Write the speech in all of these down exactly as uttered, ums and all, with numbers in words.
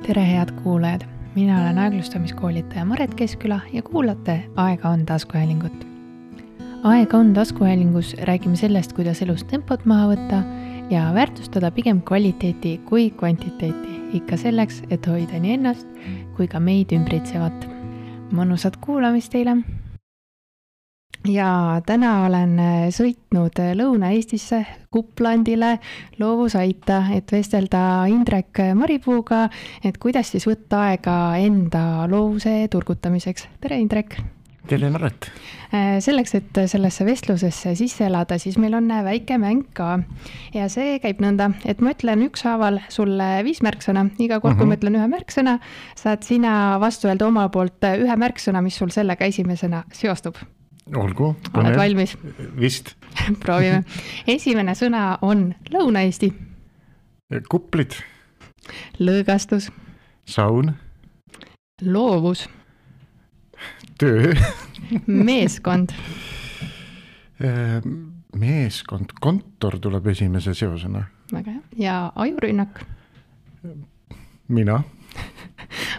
Tere head kuulajad, mina olen aeglustamiskoolitaja Maret Keskküla ja kuulate Aega on taskuhäälingut. Aega on taskuhäälingus räägime sellest, kuidas elus tempot maha võtta ja väärtustada pigem kvaliteeti kui kvantiteeti, ikka selleks, et hoida nii ennast kui ka meid ümbritsevat. Mõnusat kuulamist teile! Ja täna olen sõitnud Lõuna-Eestisse Kuplandile loovusaita, et vestelda Indrek Maripuuga, et kuidas siis võtta aega enda loovuse turgutamiseks. Tere Indrek! Tere Maret! Selleks, et sellesse vestlusesse sisse elada, siis meil on väike mäng ka. Ja see käib nõnda, et ma ütlen ükshaaval sulle viis märksõna. Iga kord, kui ma ütlen ühe märksõna, saad sina vastu öelda oma poolt ühe märksõna, mis sul sellega esimesena seostub. Olgu. Oled valmis? Vist. Proovime. Esimene sõna on Lõuna-Eesti. Kuplid. Lõõgastus. Saun. Loovus. Töö. Meeskond. Meeskond. Kontor tuleb esimese seosena. Väga hea. Ja ajurünnak. Mina.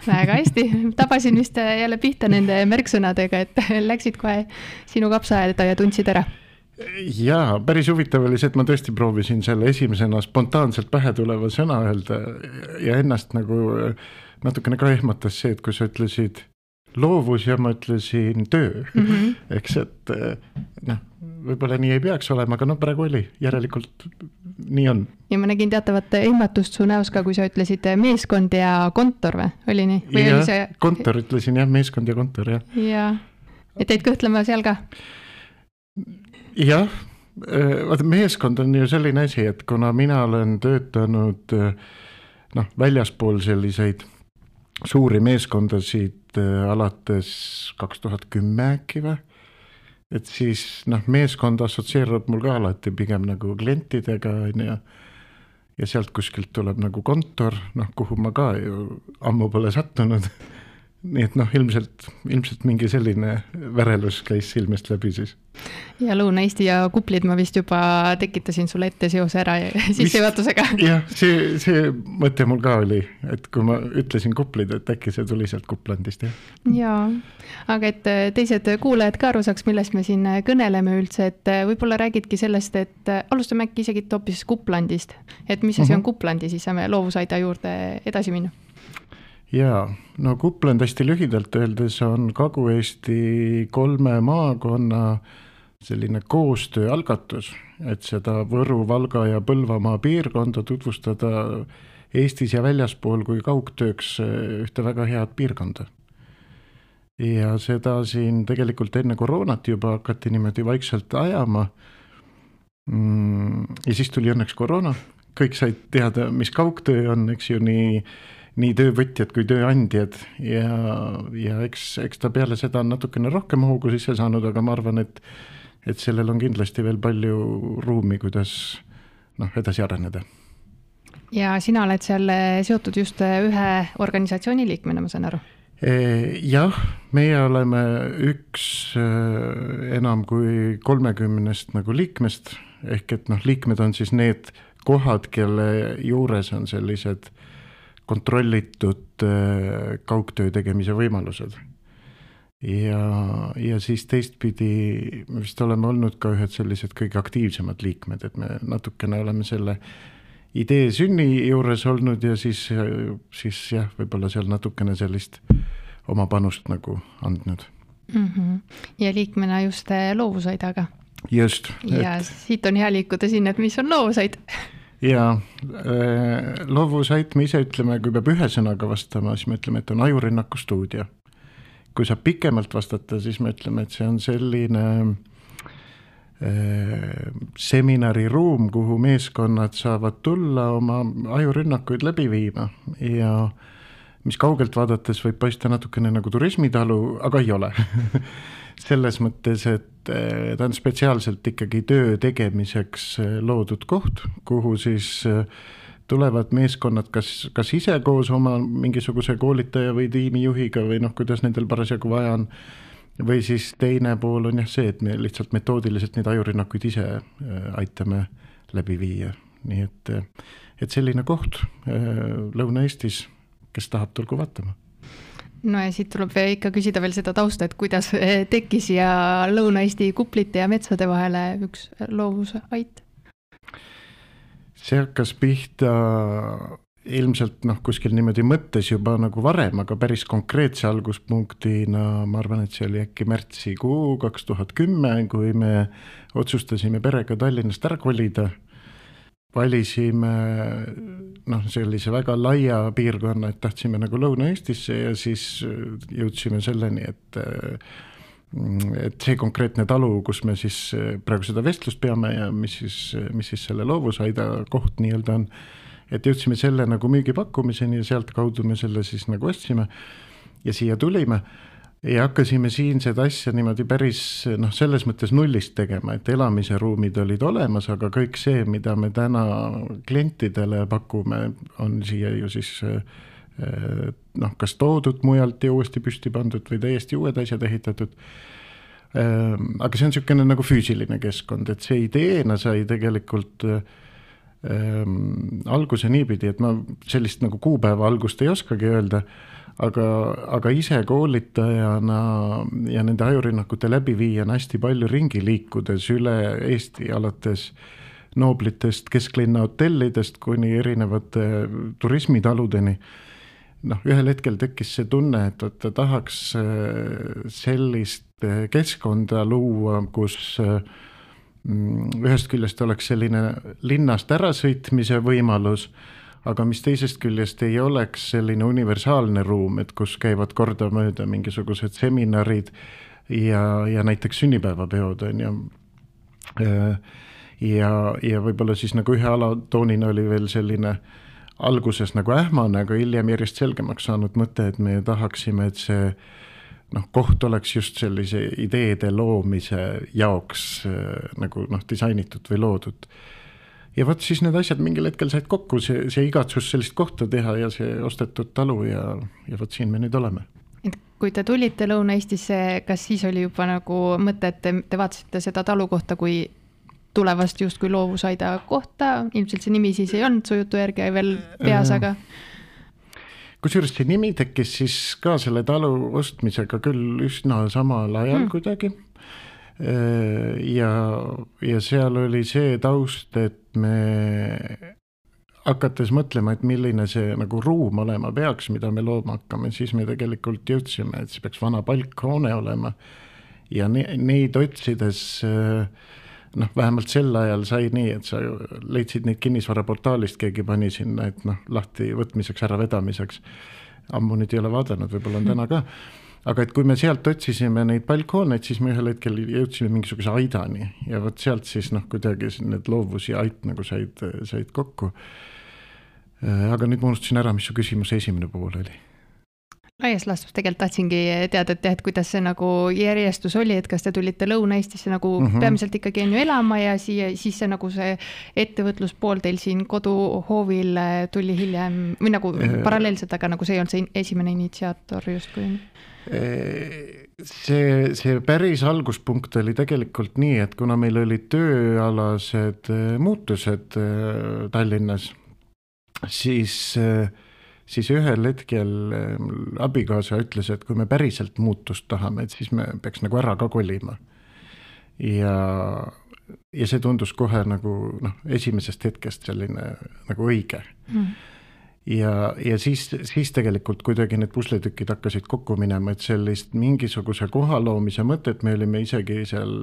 Väga hästi. Tabasin vist jälle pihta nende märksõnadega, et läksid kohe sinu kapsaaeda ja tundsid ära. Jaa, päris huvitav oli see, et ma tõesti proovisin selle esimesena spontaanselt pähe tuleva sõna öelda ja ennast nagu natukene ka ehmatas see, et kui sa ütlesid loovus ja ma ütlesin töö. Mm-hmm. Eks, et noh, võib-olla nii ei peaks olema, aga no praegu oli, järelikult nii on. Ja ma nägin teatavat ehmatust su näos ka, kui sa ütlesid meeskond ja kontor või? Oli nii? Või ja, oli see... kontor ütlesin jah, meeskond ja kontor, jah. Ja, et teid kõhtlema seal ka? Jah, vaata meeskond on ju selline asi, et kuna mina olen töötanud noh, väljaspool selliseid suuri meeskondasid alates kaks tuhat kümme äkki või, et siis noh, meeskond assotsieerub mul ka alati pigem nagu klientidega ja, ja sealt kuskilt tuleb nagu kontor, noh, kuhu ma ka ju ammu pole sattunud. Nii et noh, ilmselt, ilmselt mingi selline värelus käis silmest läbi siis. Ja Lõuna-Eesti ja Kuplid ma vist juba tekitasin sulle ette seose ära sissejuhatusega. Jah, see, see mõte mul ka oli, et kui ma ütlesin Kuplid, et äkki see tuli sealt Kuplandist. Jah, ja, aga et teised kuulajad ka aru saaks, millest me siin kõneleme üldse, et võib-olla räägidki sellest, et alustame äkki isegi hoopis Kuplandist, et mis asi on Kuplandi, siis saame loovusaida juurde edasi minna. Jaa, no Kupland hästi lühidalt öeldes on Kagu-Eesti kolme maakonna selline koostööalgatus, et seda Võru, Valga ja Põlvamaa piirkonda tutvustada Eestis ja väljaspool kui kaugtööks ühte väga head piirkonda. Ja seda siin tegelikult enne koroonat juba hakati niimoodi vaikselt ajama. Ja siis tuli õnneks koroona. Kõik said teada, mis kaugtöö on, eks ju nii nii töövõtjad kui tööandjad ja, ja eks, eks ta peale seda on natukene rohkem hoogu sisse saanud, aga ma arvan, et, et sellel on kindlasti veel palju ruumi, kuidas noh, edasi areneda. Ja sina oled seal seotud just ühe organisatsiooni liikmena, ma saan aru? Jah, meie oleme üks enam kui kolmekümnest nagu liikmest, ehk et noh, liikmed on siis need kohad, kelle juures on sellised kontrollitud kaugtöö tegemise võimalused. Ja, ja siis teistpidi me vist oleme olnud ka ühed sellised kõige aktiivsemad liikmed, et me natukene oleme selle idee sünni juures olnud ja siis, siis jah, võib-olla seal natukene sellist oma panust nagu andnud. Mm-hmm. Ja liikmena just loovusaidaga. Just. Ja et... siit on hea liikuda sinna, et mis on loovusaid. Ja loovusait me ise ütleme, kui peab ühe sõnaga vastama, siis me ütleme, et on ajurünnaku stuudio. Kui saab pikemalt vastata, siis me ütleme, et see on selline äh, seminariruum, kuhu meeskonnad saavad tulla oma ajurünnakuid läbi viima ja mis kaugelt vaadates võib paista natukene nagu turismitalu, aga ei ole. Selles mõttes, et ta on spetsiaalselt ikkagi töö tegemiseks loodud koht, kuhu siis tulevad meeskonnad kas, kas ise koos oma mingisuguse koolitaja või tiimijuhiga või noh, kuidas nendel parasjagu vaja on. Või siis teine pool on jah see, et me lihtsalt metoodiliselt neid ajurünnakuid ise aitame läbi viia. Nii et, et selline koht Lõuna-Eestis kes tahab, tulgu vaatama. No ja siit tuleb ikka küsida veel seda tausta, et kuidas tekkis ja Lõuna-Eesti kuplite ja metsade vahele üks loovusait? See hakkas pihta ilmselt noh, kuskil niimoodi mõttes juba nagu varem, aga päris konkreetse alguspunktina, ma arvan, et see oli äkki märtsikuu kaks tuhat kümme, kui me otsustasime perega Tallinnast ära kolida. Valisime noh, sellise väga laia piirkonna, et tahtsime nagu Lõuna-Eestisse ja siis jõudsime selleni, et, et see konkreetne talu, kus me siis praegu seda vestlust peame ja mis siis, mis siis selle loovusaida koht nii-öelda on, et jõudsime selle nagu müügipakkumiseni ja sealt kaudu me selle siis nagu ostsime ja siia tulime. Ja hakkasime siin seda asja niimoodi päris noh, selles mõttes nullist tegema, et elamise ruumid olid olemas, aga kõik see, mida me täna klientidele pakume, on siia ju siis noh, kas toodud mujalt ja uuesti püsti pandud või täiesti uued asjad ehitatud. Aga see on niisugune nagu füüsiline keskkond, et see ideena sai tegelikult ähm, alguse niipidi, et ma sellist nagu kuupäeva algust ei oskagi öelda, Aga, aga ise koolitajana ja nende ajurinnakute läbiviijana hästi palju ringi liikudes üle Eesti alates nooblitest kesklinna hotellidest kuni erinevate turismitaludeni. Noh, ühel hetkel tekkis see tunne, et ta tahaks sellist keskkonda luua, kus ühest küljest oleks selline linnast ärasõitmise võimalus, aga mis teisest küljest ei oleks selline universaalne ruum, et kus käivad korda mööda mingisugused seminarid ja, ja näiteks sünnipäevapeod on ja, ja, ja võib-olla siis nagu ühe alatoonina oli veel selline alguses nagu ähmane, aga hiljem järjest selgemaks saanud mõte, et me tahaksime, et see noh, koht oleks just sellise ideede loomise jaoks nagu noh, disainitud või loodud. Ja võt siis need asjad mingil hetkel said kokku, see, see igatsus sellist kohta teha ja see ostetud talu ja, ja võt siin me nüüd oleme. Et kui te tulite Lõuna-Eestisse, kas siis oli juba nagu mõte, et te, te vaatasite seda talu kohta kui tulevast just kui loovusaida kohta, ilmselt see nimi siis ei olnud su jutu järgi veel peas, aga kusjuures see nimi tekkis siis ka selle talu ostmisega küll üsna samal ajal hmm. kuidagi. Ja, ja seal oli see taust, et me hakates mõtlema, et milline see nagu ruum olema peaks, mida me looma hakkame, siis me tegelikult jõudsime, et see peaks vana palkhoone olema ja ne, neid otsides noh, vähemalt sel ajal sai nii, et sa leidsid neid kinnisvaraportaalist, keegi pani sinna, et noh, lahti võtmiseks, ära vedamiseks. Ammu nüüd ei ole vaadanud, võib-olla on täna ka. Aga et kui me sealt otsisime neid palkhooneid, siis me ühel hetkel jõudsime mingisuguse aidani ja võt sealt siis noh, kuidagi need loovus ja ait nagu said, said kokku. Aga nüüd ma unustasin ära, mis su küsimuse esimene pool oli. Laias laastus tegelikult tahtsingi teada, et, et kuidas see nagu järjestus oli, et kas te tulite Lõuna-Eestisse nagu mm -hmm. peamiselt ikkagi on ju elama ja siia, siis see nagu see ettevõtluspool teil siin koduhoovil tuli hiljem või nagu e paralleelselt, aga nagu see ei olnud see esimene initsiaator justkui. See, see päris alguspunkt oli tegelikult nii, et kuna meil olid tööalased muutused Tallinnas, siis siis ühel hetkel abikaasa ütles, et kui me päriselt muutust tahame, et siis me peaks nagu ära ka kolima. Ja, ja see tundus kohe nagu noh, esimesest hetkest selline nagu õige. Mm. Ja, ja siis, siis tegelikult kuidagi need pusletükid hakkasid kokku minema, et sellist mingisuguse koha loomise mõtet me olime isegi seal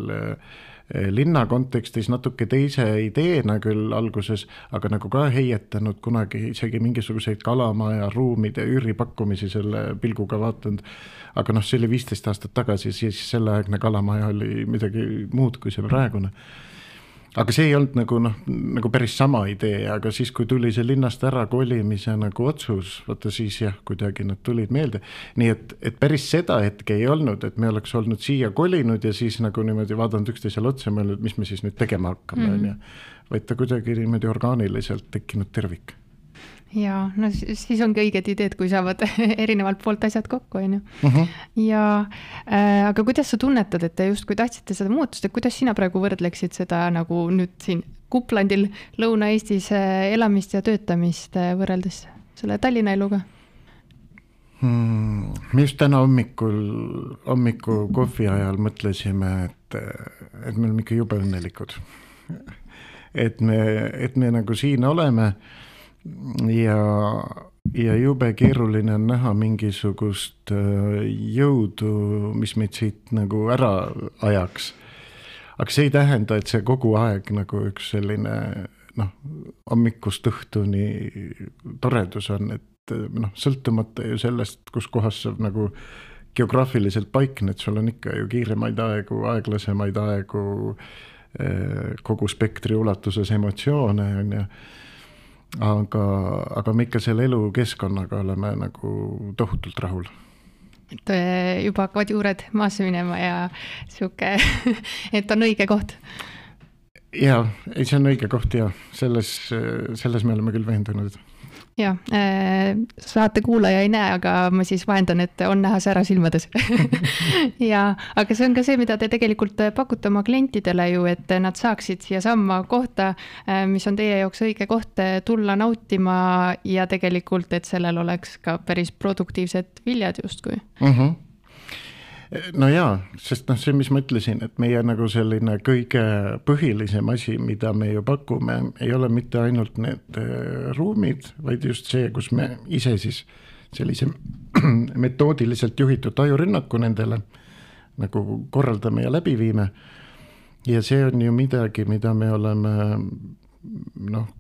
linna kontekstis natuke teise ideena küll alguses, aga nagu ka heietanud kunagi isegi mingisuguseid kalamaja ruumide üüripakkumisi selle pilguga vaatanud. Aga noh, see oli viisteist aastat tagasi, siis selleaegne kalamaja oli midagi muud kui see praegune. Aga see ei olnud nagu, noh, nagu päris sama idee, aga siis kui tuli see linnast ära kolimise nagu otsus, vaata siis jah, kuidagi nad tulid meelde. Nii et, et päris seda hetke ei olnud, et me oleks olnud siia kolinud ja siis nagu niimoodi vaadanud üksteisele otsa mõelnud, mis me siis nüüd tegema hakkame. Mm. Ja, vaid ta kuidagi niimoodi orgaaniliselt tekkinud tervik. Ja no siis ongi õiged ideed, kui saavad erinevalt poolt asjad kokku, on ju. Uh-huh. Ja, äh, aga kuidas sa tunnetad, et te just kui tahtsite seda muutust, et kuidas sina praegu võrdleksid seda nagu nüüd siin Kuplandil Lõuna-Eestis elamist ja töötamist võrreldes selle Tallinna eluga? Hmm, me just täna hommikul, hommiku kohvi ajal mõtlesime, et, et me oleme ikka jube õnnelikud. Et me, et me nagu siin oleme ja, ja jube keeruline on näha mingisugust jõudu, mis meid siit nagu ära ajaks. Aga see ei tähenda, et see kogu aeg nagu üks selline noh, hommikust õhtuni toredus on, et noh, sõltumata ju sellest, kus kohas sa nagu geograafiliselt paikned, sul on ikka ju kiiremaid aegu, aeglasemaid aegu, kogu spektri ulatuses emotsioone on ja aga, aga me ikka selle elukeskkonnaga oleme nagu tohutult rahul. Et juba hakkavad juured maasse minema ja siuke, et on õige koht. Jaa, ei, see on õige koht ja selles, selles me oleme küll veendunud. Ja, saate kuulaja ei näe, aga ma siis vahendan, et on näha sära silmades. ja, aga see on ka see, mida te tegelikult pakute oma klientidele ju, et nad saaksid siia samma kohta, mis on teie jaoks õige koht tulla nautima ja tegelikult, et sellel oleks ka päris produktiivsed viljad justkui. Mhm. No jaa, sest noh, see, mis ma ütlesin, et meie nagu selline kõige põhilisem asi, mida me ju pakume, ei ole mitte ainult need ruumid, vaid just see, kus me ise siis sellise metoodiliselt juhitud ajurünnaku nendele nagu korraldame ja läbi viime. Ja see on ju midagi, mida me oleme noh,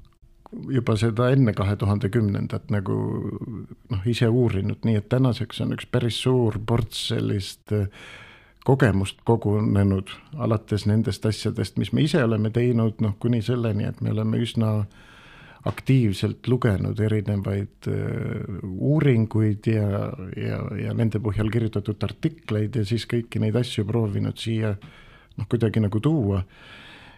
juba seda enne kahe tuhande kümnendat nagu noh, ise uurinud, nii et tänaseks on üks päris suur ports sellist kogemust kogunenud alates nendest asjadest, mis me ise oleme teinud, noh kuni selleni, et me oleme üsna aktiivselt lugenud erinevaid uuringuid ja, ja, ja nende põhjal kirjutatud artikleid ja siis kõiki neid asju proovinud siia noh, kuidagi nagu tuua.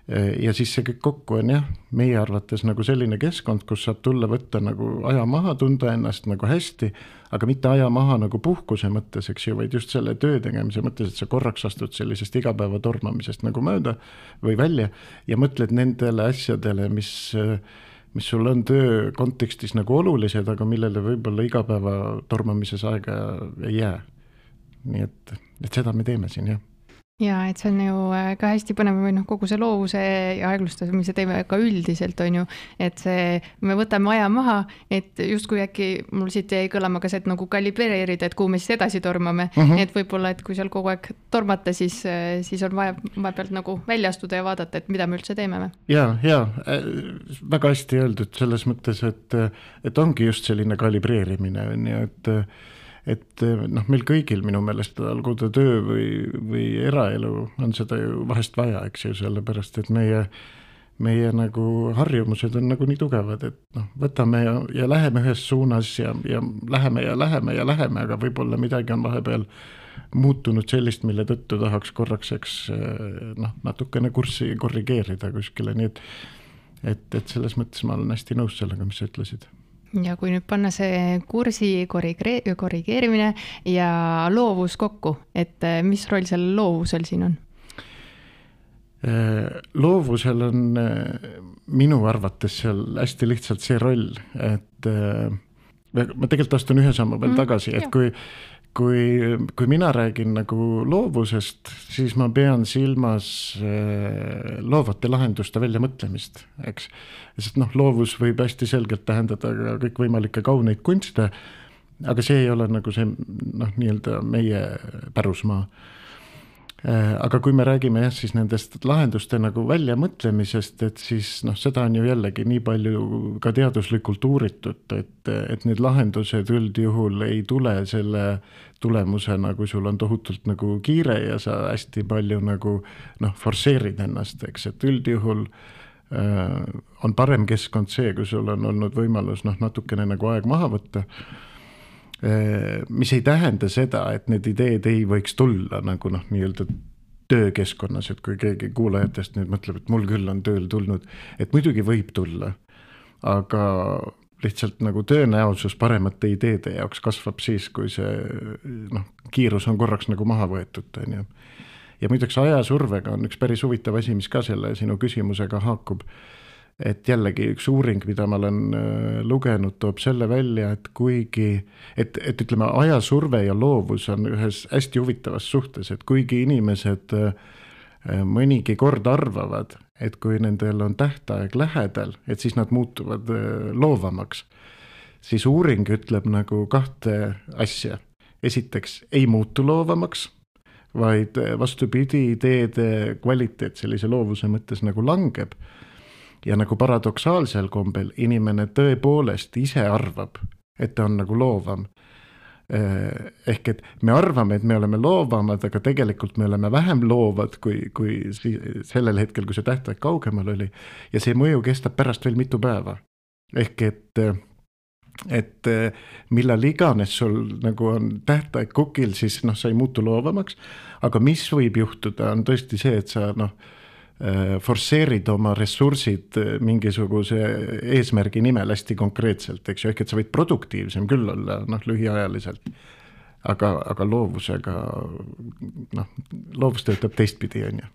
Ja siis see kõik kokku on jah, meie arvates nagu selline keskkond, kus saab tulla võtta nagu aja maha, tunda ennast nagu hästi, aga mitte aja maha nagu puhkuse mõttes, eks ju, vaid just selle töö tegemise mõttes, et sa korraks astud sellisest igapäeva tormamisest nagu mööda või välja ja mõtled nendele asjadele, mis, mis sul on töö kontekstis nagu olulised, aga millele võib-olla igapäeva tormamises aega ei jää. Nii et, et seda me teeme siin, jah. Ja, et see on ju ka hästi põnev või noh, kogu see loovuse ja aeglustamise teeme ka üldiselt on ju, et see, me võtame aja maha, et justkui äkki mul siit jäi kõlama ka see, et nagu kalibreerida, et kuhu me siis edasi tormame, uh-huh. et võib-olla, et kui seal kogu aeg tormata, siis, siis on vaja, vaja pealt nagu välja astuda ja vaadata, et mida me üldse teeme. Ja, ja, väga hästi öeldud selles mõttes, et, et ongi just selline kalibreerimine, nii et et noh, meil kõigil minu meelest olgu ta töö või, või eraelu on seda ju vahest vaja, eks ju, sellepärast, et meie, meie nagu harjumused on nagu nii tugevad, et noh, võtame ja, ja läheme ühes suunas ja, ja läheme ja läheme ja läheme, aga võib-olla midagi on vahepeal muutunud sellist, mille tõttu tahaks korraks, eks noh, natukene kurssi korrigeerida kuskile, nii et, et, et selles mõttes ma olen hästi nõus sellega, mis sa ütlesid. Ja kui nüüd panna see kursi korrigeerimine ja loovus kokku, et mis roll seal loovusel siin on? Loovusel on minu arvates seal hästi lihtsalt see roll, et ma tegelikult astun ühe sammu veel tagasi, et kui Kui, kui mina räägin nagu loovusest, siis ma pean silmas loovate lahenduste välja mõtlemist, eks. Sest noh, loovus võib hästi selgelt tähendada ka kõik võimalikke kauneid kunste, aga see ei ole nagu see noh, nii-öelda meie pärusmaa. Aga kui me räägime jah, siis nendest lahenduste nagu välja mõtlemisest, et siis noh, seda on ju jällegi nii palju ka teaduslikult uuritud, et, et need lahendused üldjuhul ei tule selle tulemusena, kui sul on tohutult nagu kiire ja sa hästi palju nagu noh, forsseerid ennast, eks, et üldjuhul äh, on parem keskkond see, kui sul on olnud võimalus noh, natukene nagu aeg maha võtta, mis ei tähenda seda, et need ideed ei võiks tulla nagu noh, nii-öelda töökeskkonnas, et kui keegi kuulajatest nüüd mõtleb, et mul küll on tööl tulnud, et muidugi võib tulla, aga lihtsalt nagu tõenäosus paremate ideede jaoks kasvab siis, kui see noh, kiirus on korraks nagu maha võetud. Ja, ja muideks ajasurvega on üks päris huvitav asi, mis ka selle sinu küsimusega haakub. et jällegi üks uuring, mida ma olen lugenud, toob selle välja, et kuigi, et, et ütleme, ajasurve ja loovus on ühes hästi huvitavas suhtes, et kuigi inimesed mõnigi kord arvavad, et kui nendel on tähtaeg lähedal, et siis nad muutuvad loovamaks, siis uuring ütleb nagu kahte asja. Esiteks ei muutu loovamaks, vaid vastupidi, ideede kvaliteet sellise loovuse mõttes nagu langeb. Ja nagu paradoksaalsel kombel inimene tõepoolest ise arvab, et ta on nagu loovam. Ehk et me arvame, et me oleme loovamad, aga tegelikult me oleme vähem loovad kui, kui sellel hetkel, kui see tähtaeg kaugemal oli. Ja see mõju kestab pärast veel mitu päeva. Ehk et, et millal iganes sul nagu on tähtaeg kukil, siis noh, sa ei muutu loovamaks. Aga mis võib juhtuda, on tõesti see, et sa noh, forsseerid oma ressursid mingisuguse eesmärgi nimel hästi konkreetselt, eks ju, ehk et sa võid produktiivsem küll olla, noh, lühiajaliselt, aga, aga loovusega, noh, loovus töötab teistpidi, on ju.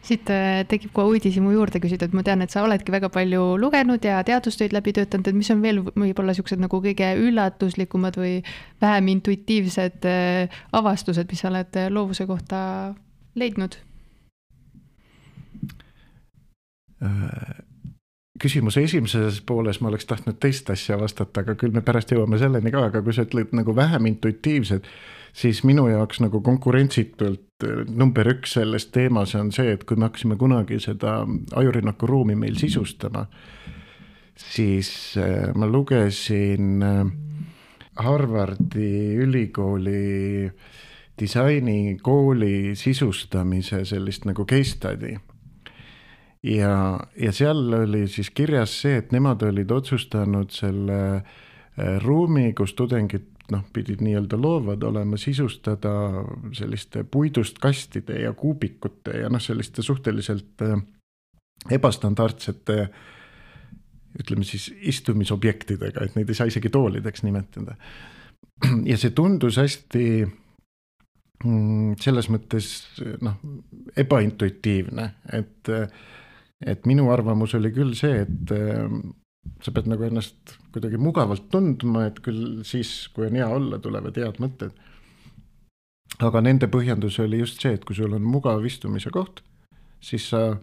Siit tekib kohe uudisimu juurde küsida, et ma tean, et sa oledki väga palju lugenud ja teadustöid läbi töötanud, et mis on veel võib-olla siuksed nagu kõige üllatuslikumad või vähem intuitiivsed avastused, mis sa oled loovuse kohta leidnud? Küsimuse esimeses pooles ma oleks tahtnud teist asja vastata, aga küll me pärast jõuame selleni ka, aga kui sa ütled nagu vähem intuitiivsed, siis minu jaoks nagu konkurentsitult number üks selles teemas on see, et kui me hakkasime kunagi seda ajurünnaku ruumi meil sisustama, siis ma lugesin Harvardi ülikooli disainikooli sisustamise sellist nagu case study. Ja, ja seal oli siis kirjas see, et nemad olid otsustanud selle ruumi, kus tudengid noh, pidid nii-öelda loovad olema, sisustada selliste puidust kastide ja kuubikute ja noh, selliste suhteliselt ebastandardsete, ütleme siis istumisobjektidega, et neid ei saa isegi toolideks nimetada. Ja see tundus hästi selles mõttes noh, ebaintuitiivne, et Et minu arvamus oli küll see, et sa pead nagu ennast kuidagi mugavalt tundma, et küll siis, kui on hea olla, tulevad head mõtted. Aga nende põhjendus oli just see, et kui sul on mugav istumise koht, siis sa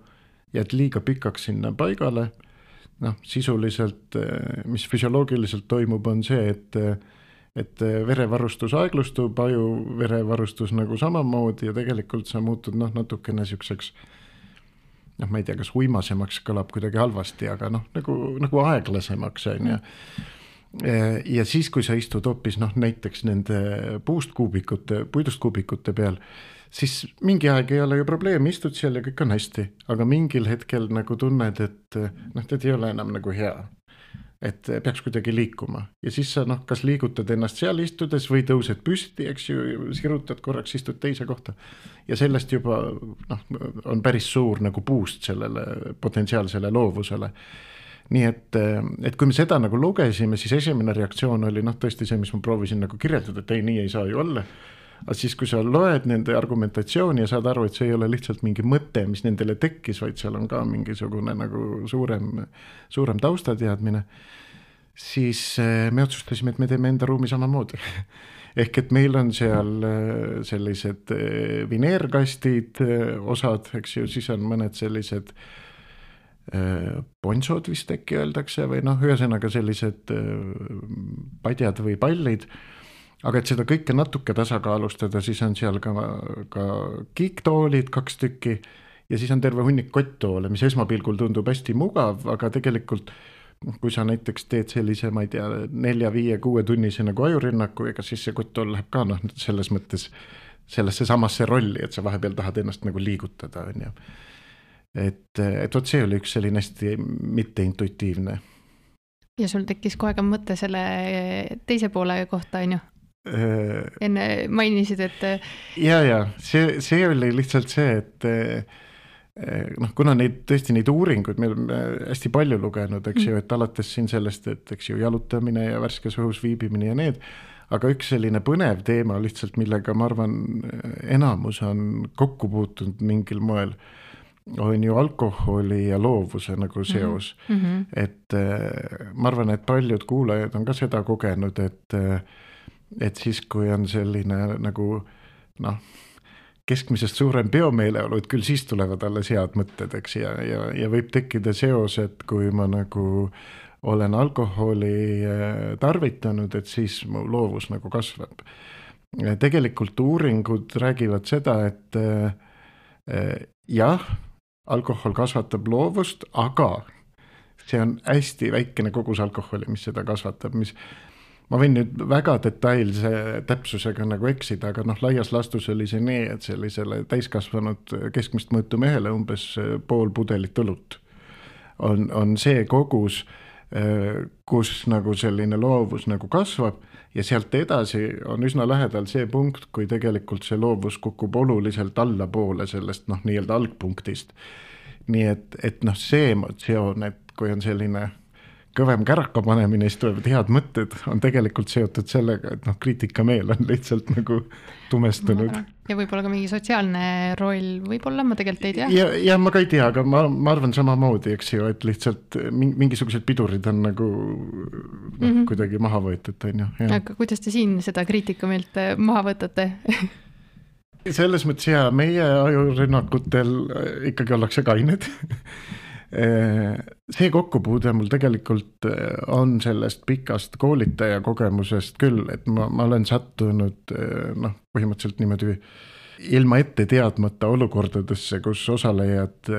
jääd liiga pikaks sinna paigale. Noh, sisuliselt, mis füsioloogiliselt toimub, on see, et, et verevarustus aeglustub, aju verevarustus nagu samamoodi ja tegelikult sa muutud noh, natukene siukseks noh, ma ei tea, kas uimasemaks kõlab kuidagi halvasti, aga noh, nagu, nagu aeglasemaks on ja. Ja siis, kui sa istud hoopis noh, näiteks nende puust kuubikute, puidust kuubikute peal, siis mingi aeg ei ole ju probleem, istud seal ja kõik on hästi, aga mingil hetkel nagu tunned, et noh, tead ei ole enam nagu hea, et peaks kuidagi liikuma ja siis sa noh, kas liigutad ennast seal istudes või tõused püsti, eks ju, sirutad korraks, istud teise kohta ja sellest juba noh, on päris suur nagu puust sellele potentsiaalsele loovusele. Nii et, et kui me seda nagu lugesime, siis esimene reaktsioon oli noh, tõesti see, mis ma proovisin nagu kirjeldada, et ei, nii ei saa ju olla. Aga siis, kui sa loed nende argumentatsiooni ja saad aru, et see ei ole lihtsalt mingi mõte, mis nendele tekkis, vaid seal on ka mingisugune nagu suurem, suurem taustateadmine, siis me otsustasime, et me teeme enda ruumi samamoodi. Ehk et meil on seal sellised vineerkastid, osad, eks ju, siis on mõned sellised ponsod vist äkki öeldakse või noh, ühesõnaga sellised padjad või pallid. Aga et seda kõike natuke tasakaalustada, siis on seal ka, ka kiiktoolid kaks tükki ja siis on terve hunnik kotttoole, mis esmapilgul tundub hästi mugav, aga tegelikult kui sa näiteks teed sellise, ma ei tea, nelja, viie, kuue tunnise nagu ajurünnaku, ega siis see kotttool läheb ka noh, selles mõttes sellesse samasse rolli, et sa vahepeal tahad ennast nagu liigutada. On ju. Et, et võt see oli üks selline hästi mitteintuitiivne. Ja sul tekkis kohe ka mõte selle teise poole kohta, on ju? Enne mainisid, et ja, ja, see, see oli lihtsalt see, et noh, kuna neid, tõesti neid uuringuid meil on hästi palju lugenud, eks ju, et alates siin sellest, et eks ju jalutamine ja värskes õhus viibimine ja need, aga üks selline põnev teema lihtsalt, millega ma arvan enamus on kokku puutunud mingil moel, on ju alkoholi ja loovuse nagu seos mm. -hmm. et äh, ma arvan, et paljud kuulajad on ka seda kogenud, et äh, et siis, kui on selline nagu noh, keskmisest suurem peomeeleolu, et küll siis tulevad alles head mõtted, eks, ja, ja, ja võib tekkida seos, et kui ma nagu olen alkoholi tarvitanud, et siis mu loovus nagu kasvab. Tegelikult uuringud räägivad seda, et äh, jah, alkohol kasvatab loovust, aga see on hästi väikene kogus alkoholi, mis seda kasvatab, mis ma võin nüüd väga detailse täpsusega nagu eksida, aga noh, laias laastus oli see nii, et sellisele täiskasvanud keskmist mõõtu mehele umbes pool pudelit õlut on, on see kogus, kus nagu selline loovus nagu kasvab ja sealt edasi on üsna lähedal see punkt, kui tegelikult see loovus kukub oluliselt allapoole sellest noh, nii-öelda algpunktist. Nii et, et noh, see emotsioon, et kui on selline kõvem käraka panemine, siis tulevad head mõtted, on tegelikult seotud sellega, et noh, kriitikameel on lihtsalt nagu tumestunud. Ja võib-olla ka mingi sotsiaalne roll, võib-olla ma tegelikult ei tea. Ja, ja ma ka ei tea, aga ma, ma arvan samamoodi, eks ju, et lihtsalt mingisugused pidurid on nagu noh, mm -hmm. kuidagi maha võetud. On ju, aga kuidas te siin seda kriitikameelt maha võtate? Selles mõttes ja meie ajurünnakutel ikkagi ollakse kained. See kokkupuude mul tegelikult on sellest pikast koolitaja kogemusest küll, et ma, ma olen sattunud noh, põhimõtteliselt niimoodi ilma ette teadmata olukordadesse, kus osalejad,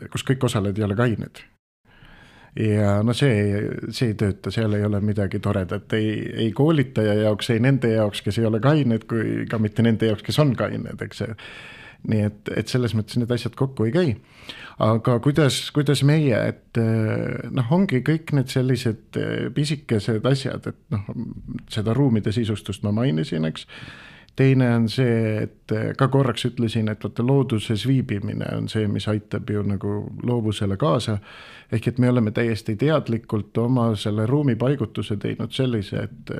kus kõik osalejad ei ole kained. Ja no see, see ei tööta, seal ei ole midagi toredat, ei, ei koolitaja jaoks, ei nende jaoks, kes ei ole kained, kui ka mitte nende jaoks, kes on kained, eks see. Nii et, et selles mõttes need asjad kokku ei käi. Aga kuidas, kuidas meie, et noh, ongi kõik need sellised pisikesed asjad, et noh, seda ruumide sisustust ma mainisin, eks. Teine on see, et ka korraks ütlesin, et vaata looduses viibimine on see, mis aitab ju nagu loovusele kaasa. Ehk et me oleme täiesti teadlikult oma selle ruumi paigutuse teinud sellise, et,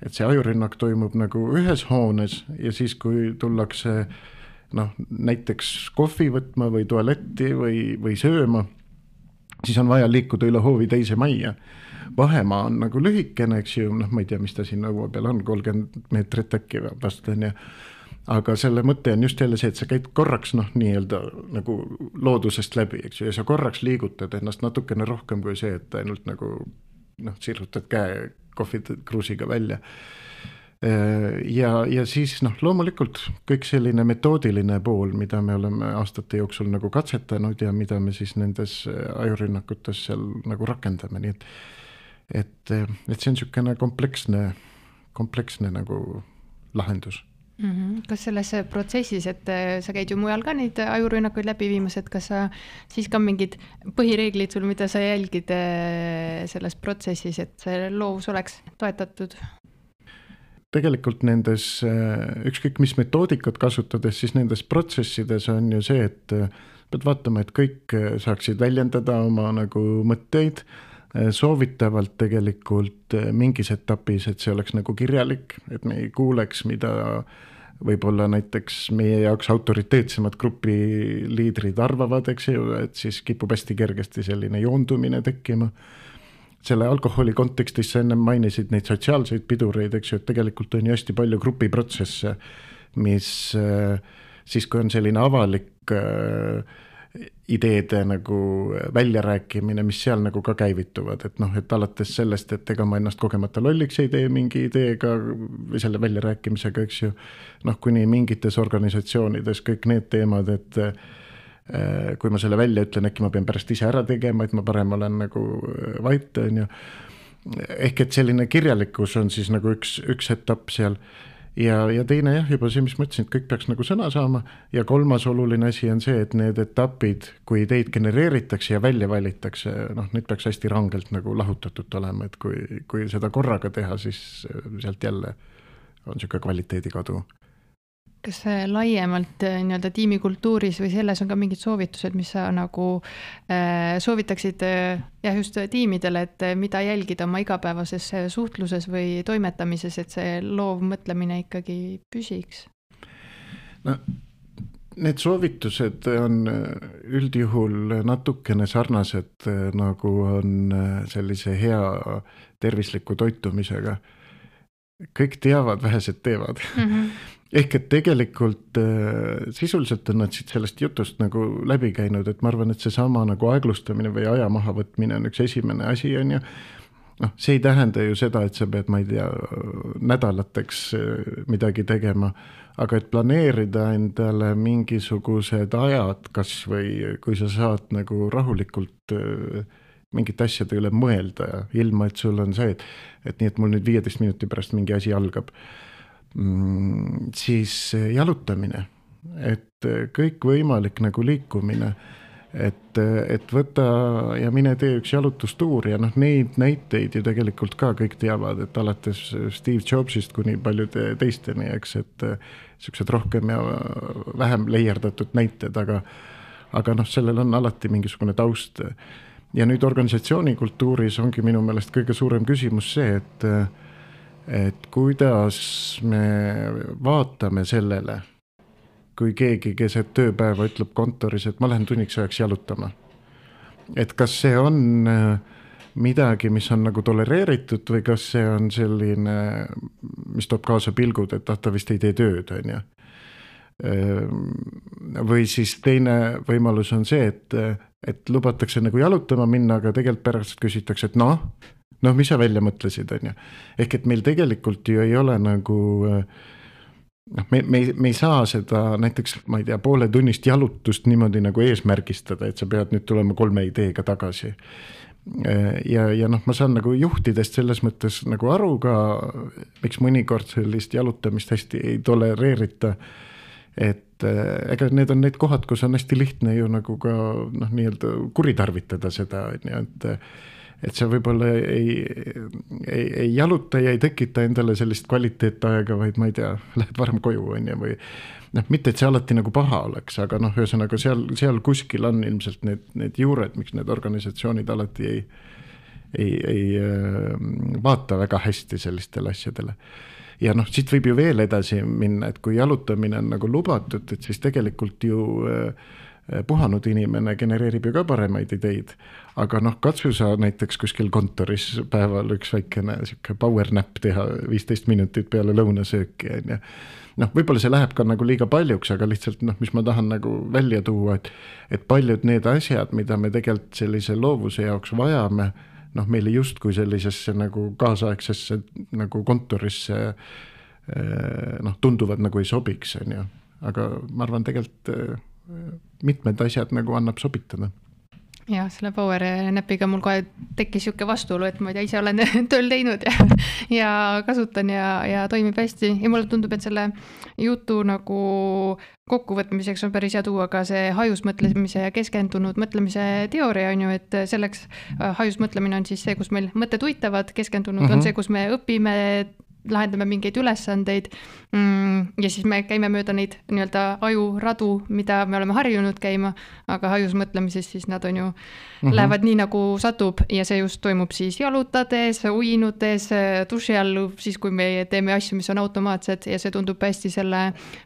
et see ajurünnak toimub nagu ühes hoones ja siis, kui tullakse noh, näiteks kohvi võtma või tualetti või, või sööma, siis on vaja liikuda üle hoovi teise majja. Vahemaa on nagu lühikene, eks ju, noh, ma ei tea, mis ta siin õue peal on, kolmkümmend meetrit äkki vast on ja aga selle mõte on just jälle see, et sa käid korraks noh, nii-öelda nagu loodusest läbi, eks ju, ja sa korraks liigutad ennast natukene rohkem kui see, et ainult nagu noh, sirutad käe kohvikruusiga välja. Ja, ja siis noh, loomulikult kõik selline metoodiline pool, mida me oleme aastate jooksul nagu katsetanud ja mida me siis nendes ajurünnakutes seal nagu rakendame, nii et et, et see on niisugune kompleksne, kompleksne nagu lahendus. Mm-hmm. Kas selles protsessis, et sa käid ju mujal ka neid ajurünnakuid läbi viimas, et kas sa siis ka mingid põhireeglid sul, mida sa jälgid selles protsessis, et see loovus oleks toetatud? Tegelikult nendes, ükskõik mis metoodikat kasutades, siis nendes protsessides on ju see, et pead vaatama, et kõik saaksid väljendada oma nagu mõtteid, soovitavalt tegelikult mingis etapis, et see oleks nagu kirjalik, et me ei kuuleks, mida võib-olla näiteks meie jaoks autoriteetsemad grupiliidrid arvavad, eks ju, et siis kipub hästi kergesti selline joondumine tekkima. Selle alkoholi kontekstis sa enne mainisid neid sotsiaalseid pidureid, eks ju, et tegelikult on ju hästi palju grupiprotsesse, mis siis, kui on selline avalik ideede nagu väljarääkimine, mis seal nagu ka käivituvad, et noh, et alates sellest, et ega ma ennast kogemata lolliks ei tee mingi ideega või selle väljarääkimisega, eks ju, noh, kuni mingites organisatsioonides kõik need teemad, et kui ma selle välja ütlen, äkki ma pean pärast ise ära tegema, et ma parem olen nagu vait, on ju. Ehk et selline kirjalikkus on siis nagu üks, üks etapp seal. Ja, ja teine jah, juba see, mis mõtlesin, et kõik peaks nagu sõna saama. Ja kolmas oluline asi on see, et need etapid, kui ideid genereeritakse ja välja valitakse, noh, need peaks hästi rangelt nagu lahutatud olema, et kui, kui seda korraga teha, siis sealt jälle on niisugune kvaliteedikadu. Kas laiemalt nii-öelda tiimikultuuris või selles on ka mingid soovitused, mis sa nagu äh, soovitaksid äh, jah, just tiimidele, et mida jälgida oma igapäevases suhtluses või toimetamises, et see loov mõtlemine ikkagi püsiks? No, need soovitused on üldjuhul natukene sarnased, nagu on sellise hea tervisliku toitumisega. Kõik teavad, vähesed teevad. Mm-hmm. Ehk et tegelikult sisuliselt on nad siit sellest jutust nagu läbi käinud, et ma arvan, et see sama nagu aeglustamine või aja maha võtmine on üks esimene asi, on ju. No, see ei tähenda ju seda, et sa pead, ma ei tea, nädalateks midagi tegema, aga et planeerida endale mingisugused ajad, kas või kui sa saad nagu rahulikult mingit asjade üle mõelda, ilma et sul on see, et, et nii, et mul nüüd viieteist minuti pärast mingi asi algab, mm, siis jalutamine, et kõik võimalik nagu liikumine, et, et võta ja mine tee üks jalutustuur ja noh, neid näiteid ju tegelikult ka kõik teavad, et alates Steve Jobsist kuni paljude teisteni, eks, et sellised rohkem ja vähem leierdatud näited, aga, aga noh, sellel on alati mingisugune taust. Ja nüüd organisatsioonikultuuris ongi minu meelest kõige suurem küsimus see, et, et kuidas me vaatame sellele, kui keegi keset tööpäeva ütleb kontoris, et ma lähen tunniks ajaks jalutama. Et kas see on midagi, mis on nagu tolereeritud või kas see on selline, mis toob kaasa pilgud, et ta vist ei tee tööd, on ju. Või siis teine võimalus on see, et, et lubatakse nagu jalutama minna, aga tegelikult pärast küsitakse, et noh, noh, mis sa välja mõtlesid, on ju. Ehk et meil tegelikult ju ei ole nagu... noh, me, me, me ei saa seda näiteks, ma ei tea, poole tunnist jalutust niimoodi nagu eesmärgistada, et sa pead nüüd tulema kolme ideega tagasi. Ja, ja noh, ma saan nagu juhtidest selles mõttes nagu aru ka, miks mõnikord sellist jalutamist hästi ei tolereerita, et ega need on need kohad, kus on hästi lihtne ju nagu ka noh, nii-öelda kuritarvitada seda, et et see võib-olla ei, ei, ei jaluta ja ei tekita endale sellist kvaliteetaega, vaid ma ei tea, lähed varem koju on ja või noh, mitte et see alati nagu paha oleks, aga noh, ühesõnaga seal, seal kuskil on ilmselt need, need juured, miks need organisatsioonid alati ei, ei, ei vaata väga hästi sellistele asjadele. Ja noh, siit võib ju veel edasi minna, et kui jalutamine on nagu lubatud, et siis tegelikult ju puhanud inimene genereerib ju ka paremaid ideid, aga noh, katsu sa näiteks kuskil kontoris päeval üks väikene siuke power nap teha viisteist minutit peale lõunasööki, on ja noh, võib-olla see läheb ka nagu liiga paljuks, aga lihtsalt noh, mis ma tahan nagu välja tuua, et, et paljud need asjad, mida me tegelikult sellise loovuse jaoks vajame, noh, meile justkui sellisesse nagu kaasaegsesse nagu kontorisse noh, tunduvad nagu ei sobiks, on ju, aga ma arvan tegelikult mitmed asjad nagu annab sobitada. Ja, selle power napiga mul kohe tekkis siuke vastuolu, et ma ei tea, ise olen tööl teinud ja, ja kasutan ja, ja toimib hästi. Ja mulle tundub, et selle jutu nagu kokkuvõtmiseks on päris hea tuua ka see hajusmõtlemise ja keskendunud mõtlemise teooria on ju, et selleks hajusmõtlemine on siis see, kus meil mõtted uitavad, keskendunud mm-hmm. on see, kus me õpime, lahendame mingeid ülesandeid ja siis me käime mööda neid nii-öelda ajuradu, mida me oleme harjunud käima, aga hajus mõtlemises siis nad on ju mm-hmm. lähevad nii nagu satub ja see just toimub siis jalutades, uinudes, duši all, siis kui me teeme asju, mis on automaatsed ja see tundub hästi selle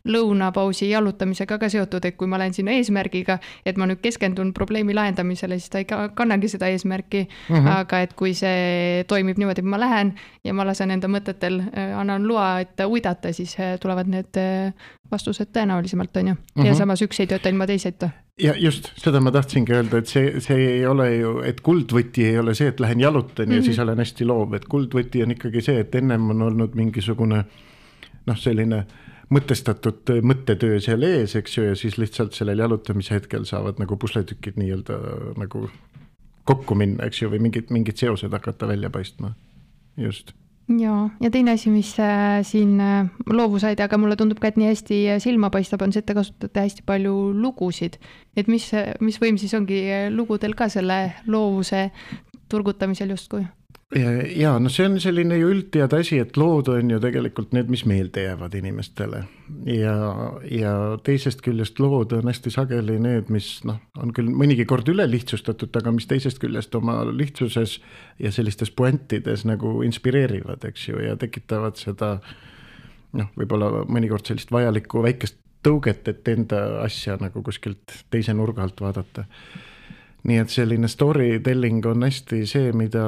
lõunapausi jalutamisega ka seotud, et kui ma lähen sinna eesmärgiga, et ma nüüd keskendun probleemi lahendamisele, siis ta ei kannagi seda eesmärki, mm-hmm. aga et kui see toimib niimoodi, et ma lähen ja ma lasen enda mõtetel annan loa, et uidata, siis tulevad need vastused tõenäolisemalt, on ju. Ja mm-hmm. samas üks ei tööta ilma teiseta. Ja just, seda ma tahtsingi öelda, et see, see ei ole ju, et kuldvõti ei ole see, et lähen jalutan mm-hmm. ja siis olen hästi loov, et kuldvõti on ikkagi see, et ennem on olnud mingisugune noh, selline mõtestatud mõttetöö seal ees, eks ju, ja siis lihtsalt sellel jalutamise hetkel saavad nagu pusletükid nii-öelda nagu kokku minna, eks ju, või mingid, mingid seosed hakata välja paistma. Just. Ja, ja teine asi, mis äh, siin äh, loovusaid, aga mulle tundub ka, et nii hästi silma paistab, on see, et te kasutate hästi palju lugusid. Et mis, mis võim siis ongi lugudel ka selle loovuse turgutamisel justkui? Ja, ja, no see on selline ju üldtead asi, et lood on ju tegelikult need, mis meelde jäävad inimestele. Ja, ja teisest küljest lood on hästi sageli need, mis noh, on küll mõnigi kord üle lihtsustatud, aga mis teisest küljest oma lihtsuses ja sellistes puentides nagu inspireerivad, eks ju, ja tekitavad seda noh, võib-olla mõnikord sellist vajalikku väikest tõuget, et enda asja nagu kuskilt teise nurga alt vaadata. Nii et selline storytelling on hästi see, mida,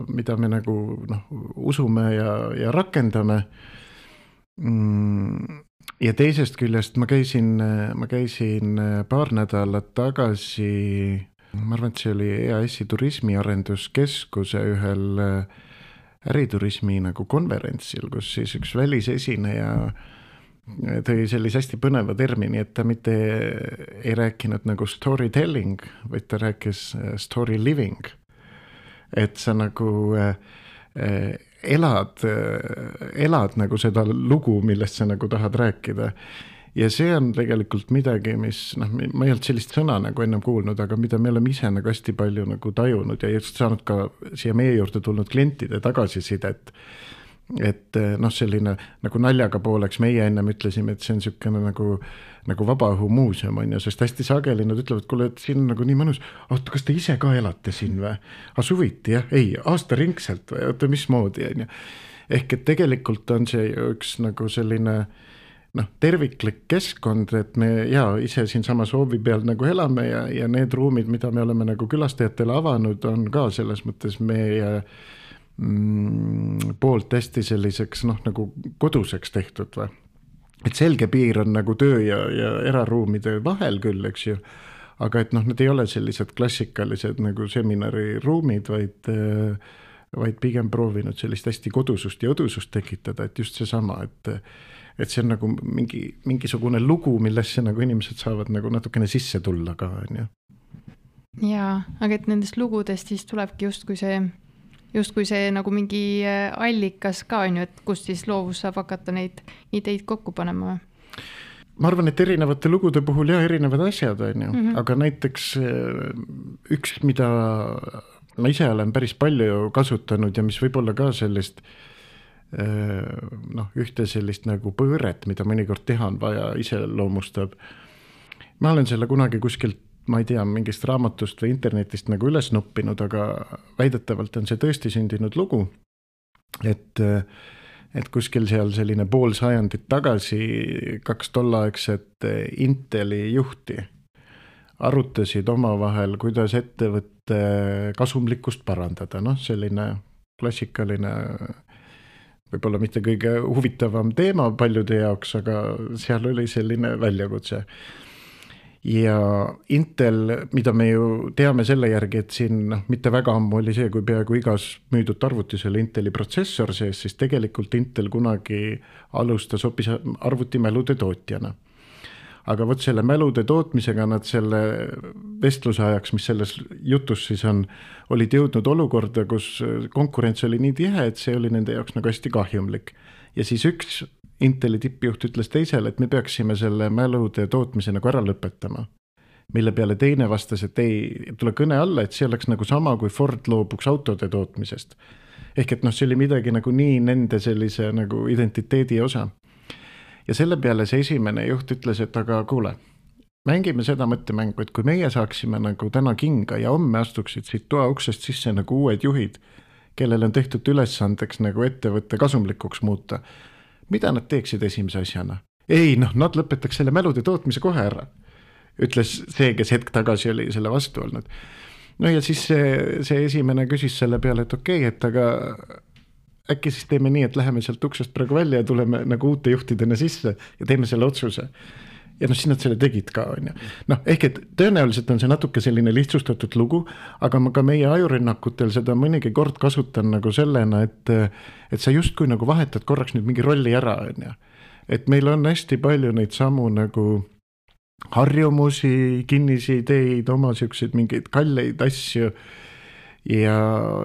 mida me nagu noh, usume ja, ja rakendame. Ja teisest küljest ma käisin, ma käisin paar nädalat tagasi, ma arvan, et see oli E A S-i turismiarenduskeskuse ühel äriturismi nagu konverentsil, kus siis üks välisesineja tõi sellise hästi põneva termini, et ta mitte ei rääkinud nagu storytelling, vaid ta rääkis story living. Et sa nagu elad, elad nagu seda lugu, millest sa nagu tahad rääkida. Ja see on tegelikult midagi, mis, noh, ma ei olnud sellist sõna nagu ennem kuulnud, aga mida me oleme ise nagu hästi palju nagu tajunud ja just saanud ka siia meie juurde tulnud klientide tagasisidet. Et noh, selline nagu naljaga pooleks meie ennem ütlesime, et see on selline nagu, nagu vabaõhumuuseum on ja sest hästi sageli nad ütlevad, kuule, et siin on nagu nii mõnus, oota, kas te ise ka elate siin või? Asuviti, jah? Ei, aasta ringselt või? Oota, mismoodi on ja? Ehk et tegelikult on see üks nagu selline noh, terviklik keskkond, et me ja ise siin sama soovi peal nagu elame ja, ja need ruumid, mida me oleme nagu külastajatele avanud, on ka selles mõttes meie poolt hästi selliseks noh, nagu koduseks tehtud või. Et selge piir on nagu töö ja, ja eraruumide vahel küll, eks ju, aga et noh, need ei ole sellised klassikalised nagu seminariruumid, vaid, vaid pigem proovinud sellist hästi kodusust ja õdusust tekitada, et just see sama, et, et see on nagu mingi, mingisugune lugu, millesse nagu inimesed saavad nagu natukene sisse tulla ka, on ju. Jaa, aga et nendest lugudest siis tulebki just kui see justkui see nagu mingi allikas ka on ju, et kus siis loovus saab hakata neid ideid kokku panema. Ma arvan, et erinevate lugude puhul ja erinevad asjad on ju, mm-hmm. aga näiteks üks, mida ma ise olen päris palju kasutanud ja mis võib olla ka sellist noh, ühte sellist nagu põõret, mida mõnikord teha on vaja, ise loomustab. Ma olen selle kunagi kuskilt ma ei tea, mingist raamatust või internetist nagu üles nuppinud, aga väidetavalt on see tõesti sündinud lugu, et, et kuskil seal selline pool sajandit tagasi kaks tollaegset Inteli juhti arutasid omavahel, kuidas ettevõtte kasumlikkust parandada. Noh, selline klassikaline, võib-olla mitte kõige huvitavam teema paljude jaoks, aga seal oli selline väljakutse. Ja Intel, mida me ju teame selle järgi, et siin noh, mitte väga ammu oli see, kui peaaegu igas müüdud arvutis oli Inteli protsessor sees, siis tegelikult Intel kunagi alustas hoopis arvutimälude tootjana. Aga võt selle mälude tootmisega nad selle vestluse ajaks, mis selles jutus siis on, olid jõudnud olukorda, kus konkurents oli nii tihe, et see oli nende jaoks nagu hästi kahjumlik. Ja siis üks Inteli tippjuht ütles teisele, et me peaksime selle mälude tootmise nagu ära lõpetama. Mille peale teine vastas, et ei tule kõne alla, et see oleks nagu sama, kui Ford loobuks autode tootmisest. Ehk et noh, see oli midagi nagu nii nende sellise nagu identiteedi osa. Ja selle peale see esimene juht ütles, et aga kuule, mängime seda mõttemängu, et kui meie saaksime nagu täna kinga ja homme astuksid siit toa uksest sisse nagu uued juhid, kellel on tehtud ülesandeks nagu ettevõtte kasumlikuks muuta, mida nad teeksid esimese asjana? Ei, noh, nad lõpetaks selle mälude tootmise kohe ära, ütles see, kes hetk tagasi oli selle vastu olnud. No ja siis see, see esimene küsis selle peale, et okei, okay, et aga äkki siis teeme nii, et läheme sealt uksest praegu välja ja tuleme nagu uute juhtidena sisse ja teeme selle otsuse. Ja noh, siis nad selle tegid ka, on ju. Noh, ehk et tõenäoliselt on see natuke selline lihtsustatud lugu, aga ma ka meie ajurünnakutel seda mõnigi kord kasutan nagu sellena, et, et sa justkui nagu vahetad korraks nüüd mingi rolli ära, on ju. Et meil on hästi palju neid samu nagu harjumusi, kinnisi ideid, oma siukseid mingeid kalleid asju ja,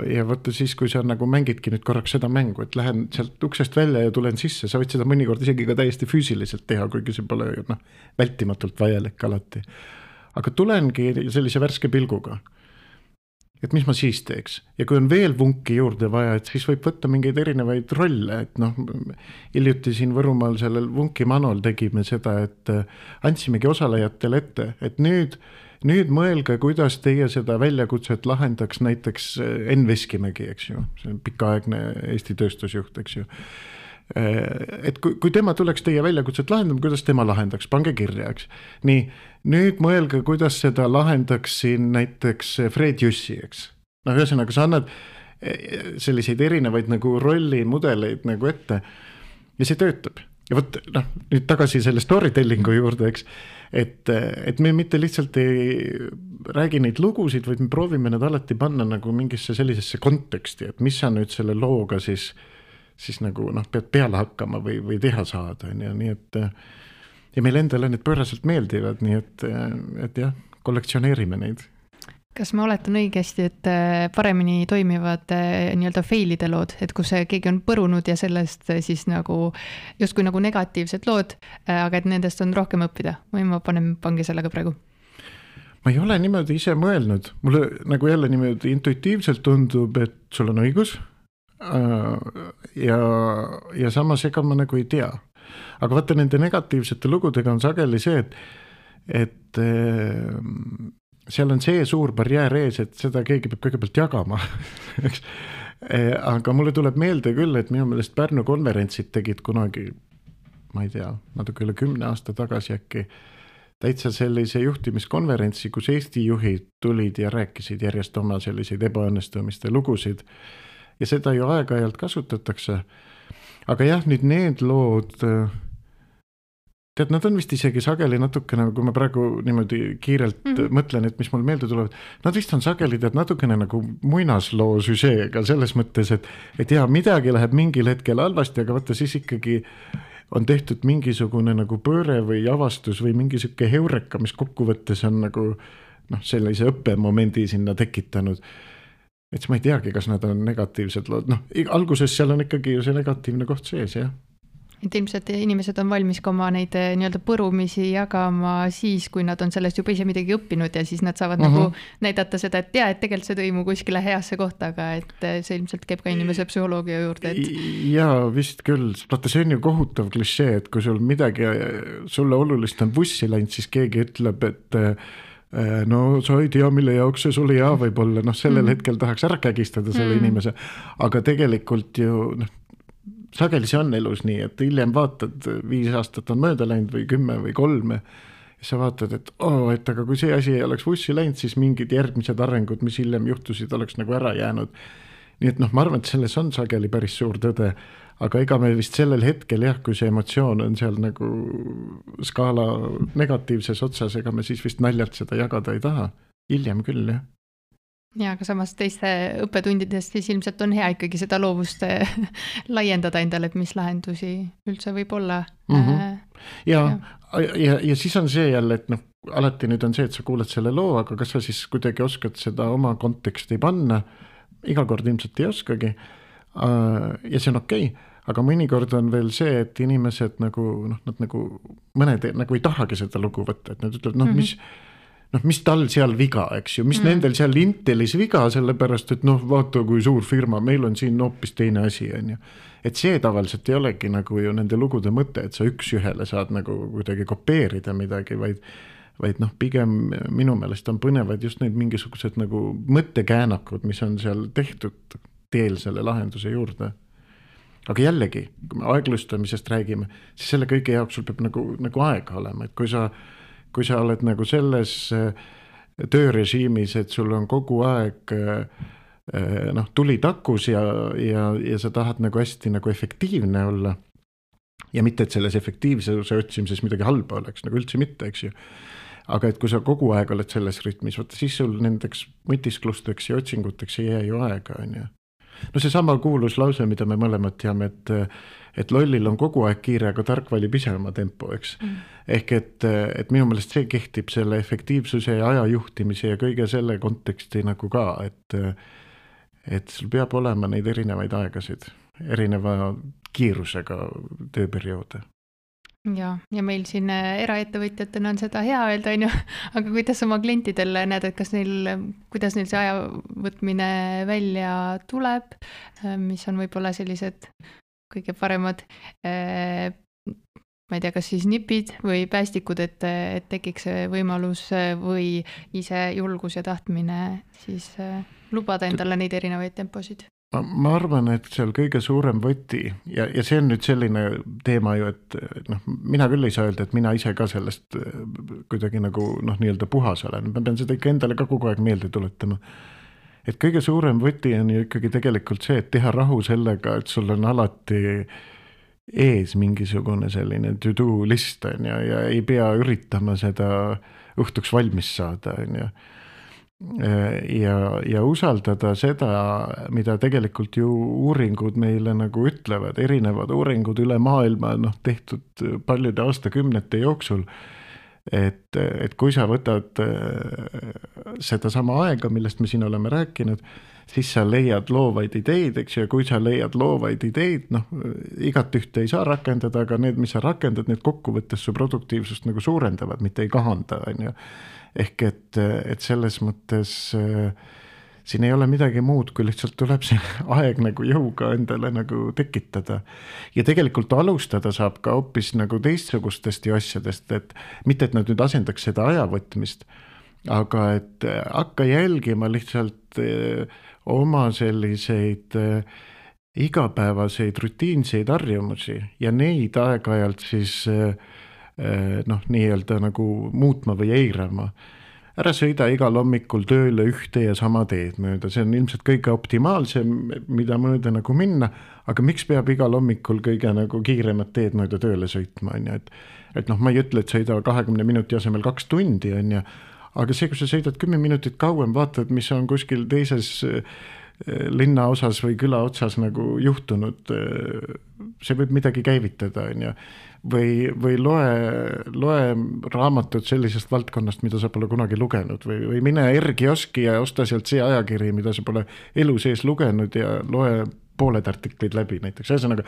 ja võtta siis, kui sa nagu mängidki nüüd korraks seda mängu, et lähen sealt uksest välja ja tulen sisse, sa võid seda mõnikord isegi ka täiesti füüsiliselt teha, kuigi see pole noh, vältimatult vajalik alati. Aga tulengi sellise värske pilguga, et mis ma siis teeks. Ja kui on veel vunki juurde vaja, et siis võib võtta mingeid erinevaid rolle, et noh, hiljuti siin Võrumaal sellel vunki manol tegime seda, et andsimegi osalejatele ette, et nüüd Nüüd mõelge, kuidas teie seda väljakutset lahendaks näiteks Enn Veskimägi, eks ju, see on pikaaegne Eesti tööstusjuht, eks ju. et kui, kui tema tuleks teie väljakutset lahendama, kuidas tema lahendaks, pange kirja, eks. nii, nüüd mõelge, kuidas seda lahendaks siin näiteks Fred Jüssi, eks. noh, ühesõnaga, sa annad selliseid erinevaid nagu rollimudeleid nagu ette ja see töötab. ja vot, noh, nüüd tagasi selle storytellingu juurde, eks, et, et me mitte lihtsalt ei räägi neid lugusid, vaid me proovime need alati panna nagu mingisse sellisesse konteksti, et mis sa nüüd selle looga siis siis nagu noh, pead peale hakkama või, või teha saada, ja nii et ja meil endale need pööraselt meeldivad, nii et, et jah, kollektsioneerime neid. Kas ma oletan õigesti, et paremini toimivad nii-öelda failide lood, et kus keegi on põrunud ja sellest siis nagu justkui nagu negatiivsed lood, aga et nendest on rohkem õppida, või ma panen pangi sellega praegu? Ma ei ole niimoodi ise mõelnud, mulle nagu jälle niimoodi intuitiivselt tundub, et sul on õigus, ja, ja samas ega ma nagu ei tea. Aga vaata, nende negatiivsete lugudega on sageli see, et, et seal on see suur barjäär ees, et seda keegi peab kõigepealt jagama. Aga mulle tuleb meelde küll, et minu meelest Pärnu konverentsid tegid kunagi, ma ei tea, natuke üle kümne aasta tagasi äkki, täitsa sellise juhtimiskonverentsi, kus Eesti juhid tulid ja rääkisid järjest oma selliseid ebaõnnestumiste lugusid. Ja seda ju aeg-ajalt kasutatakse. Aga jah, nüüd need lood, tead, nad on vist isegi sageli natukene, kui ma praegu niimoodi kiirelt mm -hmm. mõtlen, et mis mul meelde tulevad, nad vist on sageli tead natukene nagu muinasloo süžeega selles mõttes, et, et jah, midagi läheb mingil hetkel halvasti, aga vaata siis ikkagi on tehtud mingisugune nagu pööre või avastus või mingi siuke heureka, mis kokkuvõttes on nagu noh, sellise õppemomendi sinna tekitanud. Et ma ei teagi, kas nad on negatiivsed lood. Noh, alguses seal on ikkagi ju see negatiivne koht sees, jah. Et ilmselt inimesed on valmis ka oma neid nii-öelda põrumisi jagama siis, kui nad on sellest juba ise midagi õppinud ja siis nad saavad uh-huh. nagu näidata seda, et tea, et tegelikult see tõimu kuskile heasse kohta, aga et see ilmselt käib ka inimese psühholoogia juurde. Et... Jaa, vist küll. Vaata, see on ju kohutav klišee, et kui sul midagi sulle olulist on vussi läinud, siis keegi ütleb, et no sa ei tea, mille jaoks see sulle hea võib olla, noh sellel mm. hetkel tahaks ära kägistada selle mm. inimese, aga tegelikult ju noh, sageli see on elus nii, et hiljem vaatad, viis aastat on mööda läinud või kümme või kolme ja sa vaatad, et oo, et aga kui see asi ei oleks vussi läinud, siis mingid järgmised arengud, mis hiljem juhtusid, oleks nagu ära jäänud. Nii et noh, ma arvan, et selles on sageli päris suur tõde, aga ega me vist sellel hetkel jah, kui see emotsioon on seal nagu skaala negatiivses otsas, ega me siis vist naljalt seda jagada ei taha. Hiljem küll, jah. Ja, aga samas teiste õppetundidest siis ilmselt on hea ikkagi seda loovust laiendada endale, et mis lahendusi üldse võib olla. Mm-hmm. Ja, ja. Ja, ja siis on see jälle, et noh, alati nüüd on see, et sa kuuled selle loo, aga kas sa siis kuidagi oskad seda oma konteksti panna? Iga kord ilmselt ei oskagi. Ja see on okei. Okay. Aga mõnikord on veel see, et inimesed nagu, noh, nad nagu, mõned nagu ei tahagi seda lugu võtta, et nad ütlevad, noh, mis, noh, mis tal seal viga, eks ju, mis mm. nendel seal Intelis viga, sellepärast, et noh, vaata, kui suur firma, meil on siin hoopis teine asi, on ju. Et see tavaliselt ei olegi nagu ju nende lugude mõte, et sa üks ühele saad nagu kuidagi kopeerida midagi, vaid, vaid noh, pigem minu meelest on põnevad just need mingisugused nagu mõttekäänakud, mis on seal tehtud teel selle lahenduse juurde. Aga jällegi, kui me aeglustamisest räägime, siis selle kõige jaoks sul peab nagu, nagu aega olema, et kui sa, kui sa oled nagu selles töörežiimis, et sul on kogu aeg noh, tuli takus ja, ja, ja sa tahad nagu hästi nagu efektiivne olla ja mitte, et selles efektiivsuse otsimises midagi halba oleks, nagu üldse mitte, eks ju. Aga et kui sa kogu aeg oled selles rütmis, võtta, siis sul nendeks mõtisklusteks ja otsinguteks ei jää ju aega, on ju. No see sama kuulus lause, mida me mõlemad teame, et, et lollil on kogu aeg kiire, aga tark valib ise oma tempo, eks. Mm. Ehk et, et minu meelest see kehtib selle efektiivsuse ja ajajuhtimise ja kõige selle konteksti nagu ka, et, et sul peab olema neid erinevaid aegasid, erineva kiirusega tööperioode. Ja, ja meil siin eraettevõtjatena on seda hea öelda, on ju, aga kuidas oma klientidel näed, et kas neil, kuidas neil see aja võtmine välja tuleb, mis on võib-olla sellised kõige paremad, ma ei tea, kas siis nipid või päästikud, et, et tekiks võimalus või ise julgus ja tahtmine siis lubada endale neid erinevaid temposid? ma, ma arvan, et seal kõige suurem võti ja, ja see on nüüd selline teema ju, et noh, mina küll ei saa öelda, et mina ise ka sellest kuidagi nagu noh, nii-öelda puhas olen, ma pean seda ikka endale ka kogu aeg meelde tuletama. Et kõige suurem võti on ju ikkagi tegelikult see, et teha rahu sellega, et sul on alati ees mingisugune selline to-do list on ja, ja ei pea üritama seda õhtuks valmis saada on ju. Ja, ja usaldada seda, mida tegelikult ju uuringud meile nagu ütlevad, erinevad uuringud üle maailma noh, tehtud paljude aastakümnete jooksul, et, et kui sa võtad seda sama aega, millest me siin oleme rääkinud, siis sa leiad loovaid ideid, eks ju, ja kui sa leiad loovaid ideid, noh, igat ühte ei saa rakendada, aga need, mis sa rakendad, need kokkuvõttes su produktiivsust nagu suurendavad, mitte ei kahanda, on ju. Ehk et, et selles mõttes äh, siin ei ole midagi muud, kui lihtsalt tuleb see aeg nagu jõuga endale nagu tekitada. Ja tegelikult alustada saab ka hoopis nagu teistsugustest ju asjadest, et mitte, et nad nüüd asendaks seda ajavõtmist, aga et hakka jälgima lihtsalt äh, oma selliseid äh, igapäevaseid rutiinseid harjumusi ja neid aeg-ajalt siis äh, noh, nii-öelda nagu muutma või eirama. Ära sõida igal hommikul tööle ühte ja sama teed mööda, see on ilmselt kõige optimaalsem, mida mööda nagu minna, aga miks peab igal hommikul kõige nagu kiiremat teed mööda tööle sõitma, on ju, et, et noh, ma ei ütle, et sõida kahekümne minuti asemel kaks tundi, on ju, aga see, kui sa sõidad kümme minutit kauem, vaatad, mis on kuskil teises linna osas või küla otsas nagu juhtunud, see võib midagi käivitada, on ju. Või, või loe, loe raamatut sellisest valdkonnast, mida sa pole kunagi lugenud või, või mine R-kioski ja osta sealt see ajakiri, mida sa pole elu sees lugenud ja loe pooled artiklid läbi näiteks. Ühesõnaga,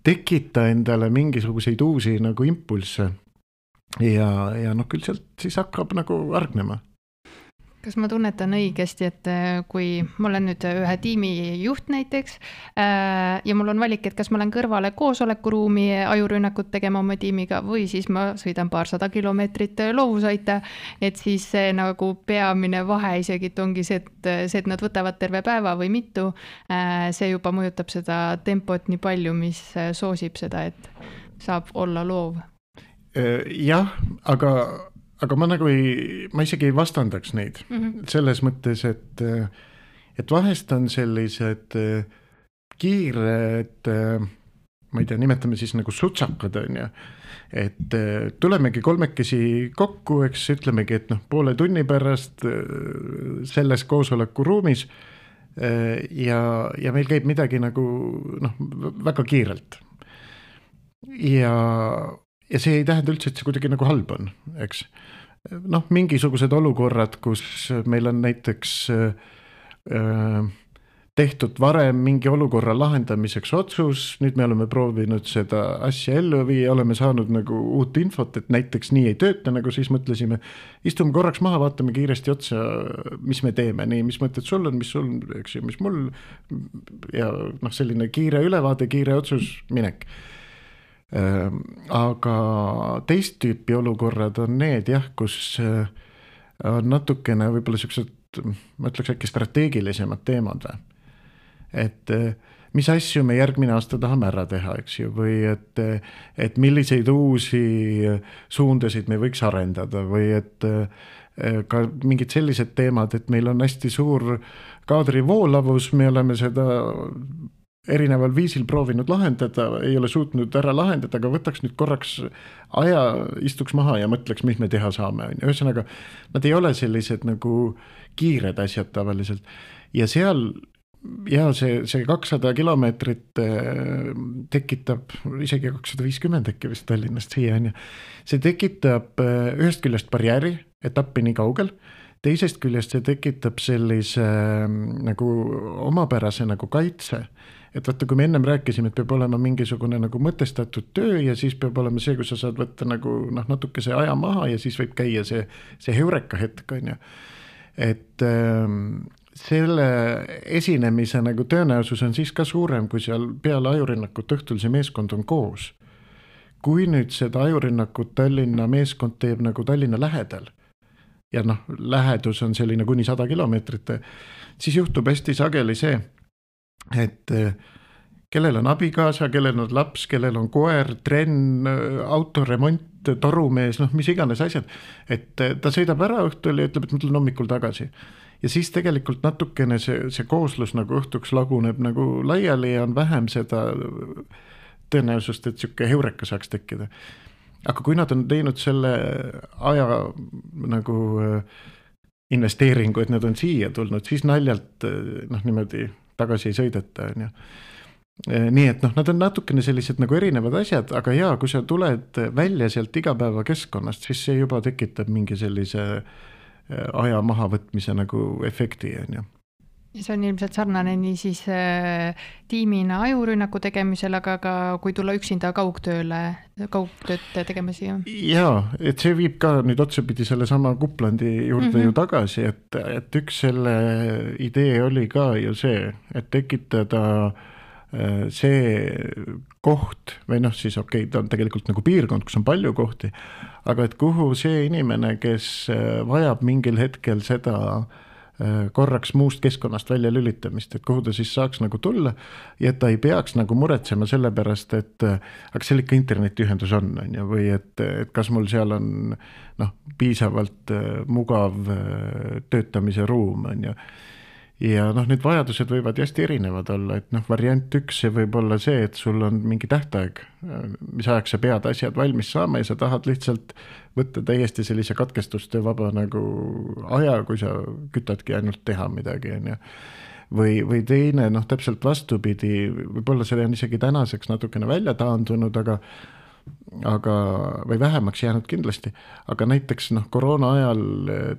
tekita endale mingisuguseid uusi nagu impulsse ja, ja noh, küll sealt siis hakkab nagu argnema. Kas ma tunnetan õigesti, et kui ma olen nüüd ühe tiimi juht näiteks ja mul on valik, et kas ma olen kõrvale koosolekuruumi ajurünnakut tegema oma tiimiga või siis ma sõidan paarsada kilomeetrit loovusaita, et siis see nagu peamine vahe isegi ongi see, et, see, et nad võtavad terve päeva või mitu, see juba mõjutab seda tempot nii palju, mis soosib seda, et saab olla loov. Jah, aga aga ma nagu ei, ma isegi ei vastandaks neid mm-hmm. selles mõttes, et, et vahest on sellised kiired, ma ei tea, nimetame siis nagu sutsakad, on ju, et tulemegi kolmekesi kokku, eks ütlemegi, et noh, poole tunni pärast selles koosoleku ruumis ja, ja meil käib midagi nagu noh, väga kiirelt. Ja Ja see ei tähenda üldse, et see kuidagi nagu halb on, eks. Noh, mingisugused olukorrad, kus meil on näiteks äh, tehtud varem mingi olukorra lahendamiseks otsus, nüüd me oleme proovinud seda asja ellu viia, oleme saanud nagu uut infot, et näiteks nii ei tööta, nagu siis mõtlesime, istume korraks maha, vaatame kiiresti otsa, mis me teeme, nii, mis mõtted sul on, mis sul, eks ju, mis mul, ja noh, selline kiire ülevaade, kiire otsus, minek. Aga teist tüüpi olukorrad on need jah, kus on natukene võib-olla sellised, ma ütleks äkki strateegilisemad teemad või. Et mis asju me järgmine aasta tahame ära teha, eks ju, või et, et milliseid uusi suundasid me võiks arendada või et ka mingid sellised teemad, et meil on hästi suur kaadri voolavus, me oleme seda erineval viisil proovinud lahendada, ei ole suutnud ära lahendada, aga võtaks nüüd korraks aja, istuks maha ja mõtleks, mis me teha saame. Ühesõnaga, nad ei ole sellised nagu kiired asjad tavaliselt. Ja seal, ja see, see kakssada kilomeetrit tekitab, isegi kakssada viiskümmend äkki vist Tallinnast siia, on ju. See tekitab ühest küljest barjääri, etappi nii kaugel, teisest küljest see tekitab sellise nagu omapärase nagu kaitse. Et vaata, kui me ennem rääkisime, et peab olema mingisugune nagu mõtestatud töö ja siis peab olema see, kus sa saad võtta nagu noh, natuke see aja maha ja siis võib käia see, see heureka hetk, on ju. Et ähm, selle esinemise nagu tõenäosus on siis ka suurem, kui seal peale ajurünnakut õhtul see meeskond on koos. Kui nüüd seda ajurünnakut Tallinna meeskond teeb nagu Tallinna lähedal ja noh, lähedus on selline kuni sada kilomeetrit, siis juhtub hästi sageli see, et kellel on abikaasa, kellel on laps, kellel on koer, trenn, autoremont, torumees, noh mis iganes asjad, et ta sõidab ära õhtul ja ütleb, et ma tulen hommikul tagasi. Ja siis tegelikult natukene see, see kooslus nagu õhtuks laguneb nagu laiali ja on vähem seda tõenäosust, et siuke heureka saaks tekkida. Aga kui nad on teinud selle aja nagu investeeringu, et nad on siia tulnud, siis naljalt noh, niimoodi tagasi ei sõideta, on ju. Nii et noh, nad on natukene sellised nagu erinevad asjad, aga jaa, kui sa tuled välja sealt igapäeva keskkonnast, siis see juba tekitab mingi sellise aja mahavõtmise nagu efekti, on ju. See on ilmselt sarnane nii siis äh, tiimina ajurünnaku tegemisel, aga ka kui tulla üksinda kaugtööle, kaugtööd tegema siia. Jaa, et see viib ka nüüd otsapidi selle sama Kuplandi juurde mm-hmm. ju tagasi, et, et üks selle idee oli ka ju see, et tekitada see koht või noh, siis okei okay,, ta on tegelikult nagu piirkond, kus on palju kohti, aga et kuhu see inimene, kes vajab mingil hetkel seda korraks muust keskkonnast välja lülitamist, et kuhu ta siis saaks nagu tulla ja et ta ei peaks nagu muretsema selle pärast, et aga seal ikka internetiühendus on, on ju, või et, et kas mul seal on noh, piisavalt mugav töötamise ruum, on ju. Ja noh, need vajadused võivad hästi erinevad olla, et noh, variant üks see võib olla see, et sul on mingi tähtaeg, mis ajaks sa pead asjad valmis saama ja sa tahad lihtsalt võtta täiesti sellise katkestuste vaba nagu aja, kui sa kütadki ainult teha midagi, on ju. Või, või teine, noh, täpselt vastupidi, võib-olla see on isegi tänaseks natukene välja taandunud, aga aga, või vähemaks jäänud kindlasti, aga näiteks noh, koroona ajal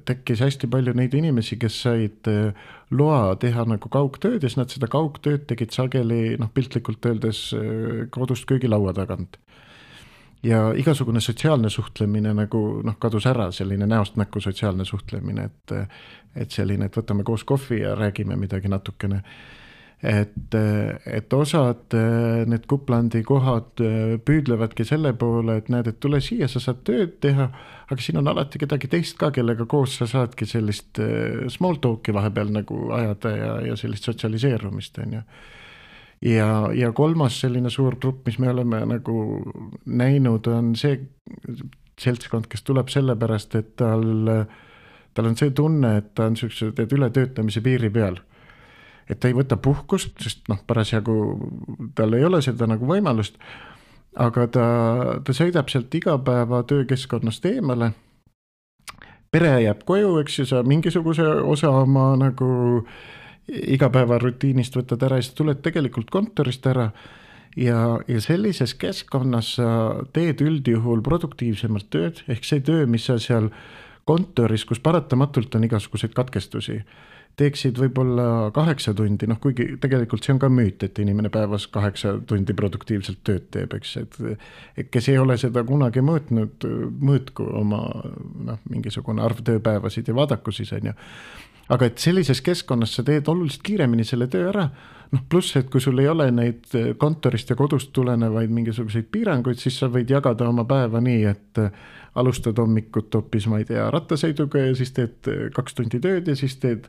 tekkis hästi palju neid inimesi, kes said loa teha nagu kaugtööd ja siis nad seda kaugtööd tegid sageli noh, piltlikult öeldes kodust köögilaua tagant. Ja igasugune sotsiaalne suhtlemine nagu noh, kadus ära, selline näost näkku sotsiaalne suhtlemine, et, et selline, et võtame koos kohvi ja räägime midagi natukene. Et, et osad need Kuplandi kohad püüdlevadki selle poole, et näed, et tule siia, sa saad tööd teha, aga siin on alati kedagi teist ka, kellega koos sa saadki sellist small talk'i vahepeal nagu ajada ja, ja sellist sotsialiseerumist, on ju. Ja, ja kolmas selline suur grupp, mis me oleme nagu näinud, on see seltskond, kes tuleb selle pärast, et tal, tal on see tunne, et ta on sellised, et ületöötamise piiri peal. Et ta ei võta puhkust, sest noh, parasjagu tal ei ole seda nagu võimalust, aga ta, ta sõidab sealt igapäeva töökeskkonnast eemale. Pere jääb koju, eks ju, sa mingisuguse osa oma nagu igapäeva rutiinist võtad ära ja sa tuled tegelikult kontorist ära ja, ja sellises keskkonnas sa teed üldjuhul produktiivsemalt tööd, ehk see töö, mis sa seal kontoris, kus paratamatult on igasuguseid katkestusi, teeksid võib-olla kaheksa tundi, noh kuigi tegelikult see on ka müüt, et inimene päevas kaheksa tundi produktiivselt tööd teeb, eks, et, et kes ei ole seda kunagi mõõtnud, mõõtku oma noh, mingisugune arv tööpäevasid ja vaadaku siis, on ju. Aga et sellises keskkonnas sa teed oluliselt kiiremini selle töö ära, noh pluss, et kui sul ei ole neid kontorist ja kodust tulenevaid mingisuguseid piiranguid, siis sa võid jagada oma päeva nii, et alustad hommikut hoopis, ma ei tea, rattasõiduga ja siis teed kaks tundi tööd ja siis teed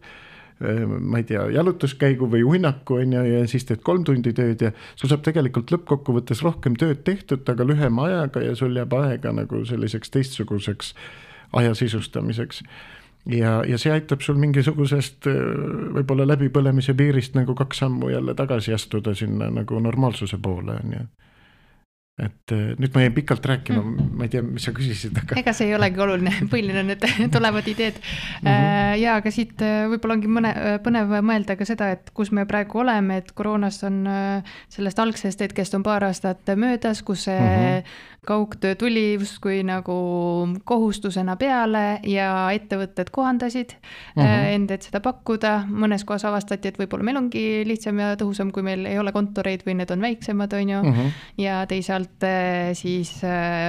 ma ei tea, jalutuskäigu või uinaku on ja, ja siis teed kolm tundi tööd ja sul saab tegelikult lõppkokkuvõttes rohkem tööd tehtud, aga lühema ajaga ja sul jääb aega nagu selliseks teistsuguseks aja sisustamiseks. Ja, ja see aitab sul mingisugusest võib-olla läbipõlemise piirist nagu kaks sammu jälle tagasi astuda sinna nagu normaalsuse poole on ju. Et nüüd ma jäin pikalt rääkima, mm. ma ei tea, mis sa küsisid, aga... Ega see ei olegi oluline, põhiline on need tulevad ideed. Mm-hmm. Ja aga siit võib-olla ongi mõne, põnev mõelda ka seda, et kus me praegu oleme, et koroonast on sellest algsest hetkest on paar aastat möödas, kus see mm-hmm. kaugtöö tuli kui nagu kohustusena peale ja ettevõtted kohandasid mm-hmm. end, et seda pakkuda. Mõnes kohas avastati, et võib-olla meil ongi lihtsam ja tõhusam, kui meil ei ole kontoreid või need on väiksemad, on ju, mm-hmm. ja teisalt siis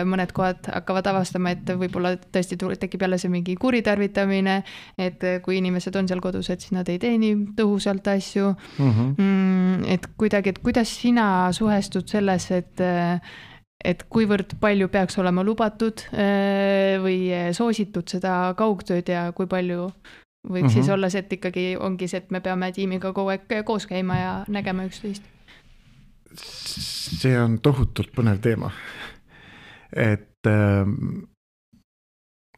mõned kohad hakkavad avastama, et võib-olla tõesti tekib jälle see mingi kuritarvitamine, et kui inimesed on seal kodus, et siis nad ei tee nii tõhusalt asju. Mm-hmm. Et kuidagi, et kuidas sina suhestud selles, et et kuivõrd palju peaks olema lubatud või soositud seda kaugtööd ja kui palju võiks mm -hmm. siis olla see, et ikkagi ongi see, et me peame tiimiga kogu aeg koos käima ja nägema üksteist? See on tohutult põnev teema. Et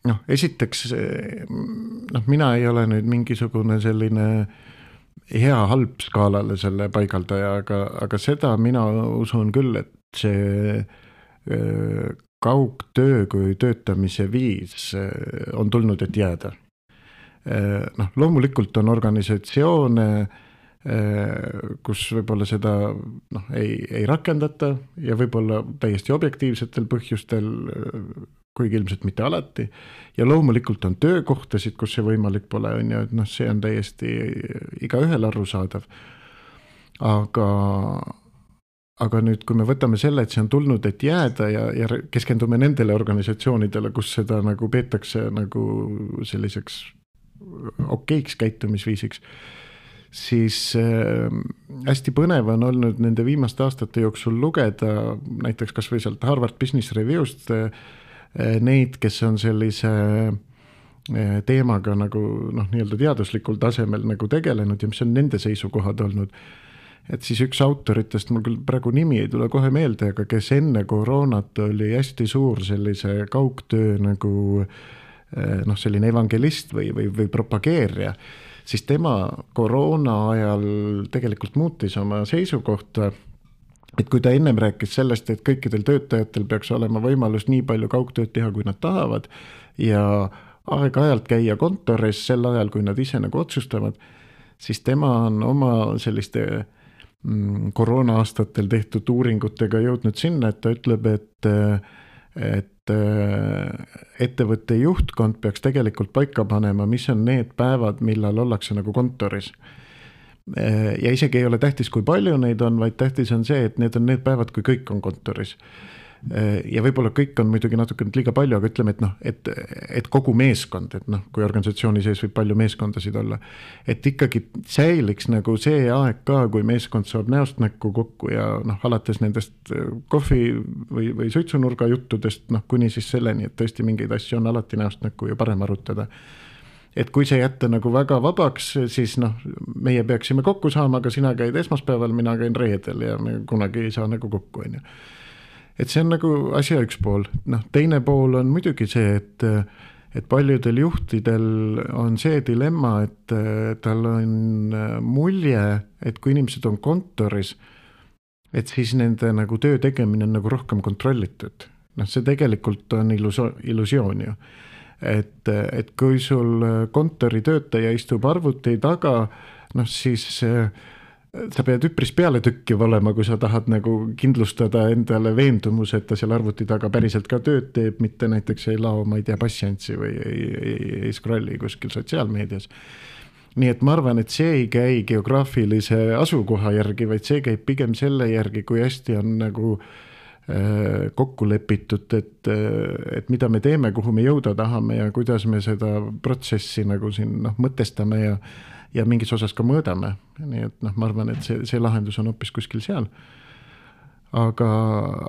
noh, esiteks noh, mina ei ole nüüd mingisugune selline hea halb skaalale selle paigaldaja, aga, aga seda mina usun küll, et see kaugtöö kui töötamise viis on tulnud, et jääda. Noh, loomulikult on organisatsioone, kus võib-olla seda noh, ei, ei rakendata ja võib-olla täiesti objektiivsetel põhjustel, kuigi ilmselt mitte alati. Ja loomulikult on töökohtasid, kus see võimalik pole, on ju, et noh, see on täiesti igaühel arusaadav. Aga Aga nüüd, kui me võtame selle, et see on tulnud, et jääda ja, ja keskendume nendele organisatsioonidele, kus seda nagu peetakse nagu selliseks okeiks käitumisviisiks, siis äh, hästi põnev on olnud nende viimaste aastate jooksul lugeda näiteks kas või sealt Harvard Business Review'st äh, neid, kes on sellise äh, teemaga nagu noh, nii-öelda teaduslikul tasemel nagu tegelenud ja mis on nende seisukohad olnud. Et siis üks autoritest, mul küll praegu nimi ei tule kohe meelde, aga kes enne koroonat oli hästi suur sellise kaugtöö nagu noh, selline evangelist või, või, või propageerija, siis tema koroona ajal tegelikult muutis oma seisukohta, et kui ta ennem rääkis sellest, et kõikidel töötajatel peaks olema võimalus nii palju kaugtööd teha, kui nad tahavad ja aeg-ajalt käia kontoris sel ajal, kui nad ise nagu otsustavad, siis tema on oma selliste koroona aastatel tehtud uuringutega jõudnud sinna, et ta ütleb, et, et ettevõtte juhtkond peaks tegelikult paika panema, mis on need päevad, millal ollakse nagu kontoris. Ja isegi ei ole tähtis, kui palju neid on, vaid tähtis on see, et need on need päevad, kui kõik on kontoris. Ja võib-olla kõik on muidugi natuke liiga palju, aga ütleme, et noh, et, et kogu meeskond, et noh, kui organisatsiooni sees võib palju meeskondasid olla, et ikkagi säiliks nagu see aeg ka, kui meeskond saab näost näkku kokku ja noh, alates nendest kohvi või, või suitsunurga juttudest, noh, kuni siis selleni, et tõesti mingeid asju on alati näost näkku ja parem arutada. Et kui see jätta nagu väga vabaks, siis noh, meie peaksime kokku saama, aga sina käid esmaspäeval, mina käin reedel ja me kunagi ei saa nagu kokku, on ju. Et see on nagu asja üks pool. Noh, teine pool on muidugi see, et, et paljudel juhtidel on see dilemma, et tal on mulje, et kui inimesed on kontoris, et siis nende nagu töö tegemine on nagu rohkem kontrollitud. Noh, see tegelikult on illuso- illusioon ju. Et, et kui sul kontori töötaja istub arvuti taga, noh siis sa pead üpris peale tükkiv olema, kui sa tahad nagu kindlustada endale veendumus, et ta seal arvuti taga päriselt ka tööd teeb, mitte näiteks ei lao, ma ei tea, passiantsi või ei, ei, ei scrolli kuskil sotsiaalmeedias. Nii et ma arvan, et see ei käi geograafilise asukoha järgi, vaid see käib pigem selle järgi, kui hästi on nagu äh, kokku lepitud, et, et mida me teeme, kuhu me jõuda tahame ja kuidas me seda protsessi nagu siin noh, mõtestame ja ja mingis osas ka mõõdame. Nii et noh, ma arvan, et see, see lahendus on hoopis kuskil seal. Aga,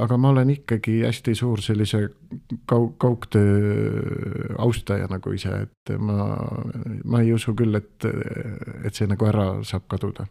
aga ma olen ikkagi hästi suur sellise kaug, kaugtöö austaja nagu ise, et ma, ma ei usu küll, et, et see nagu ära saab kaduda.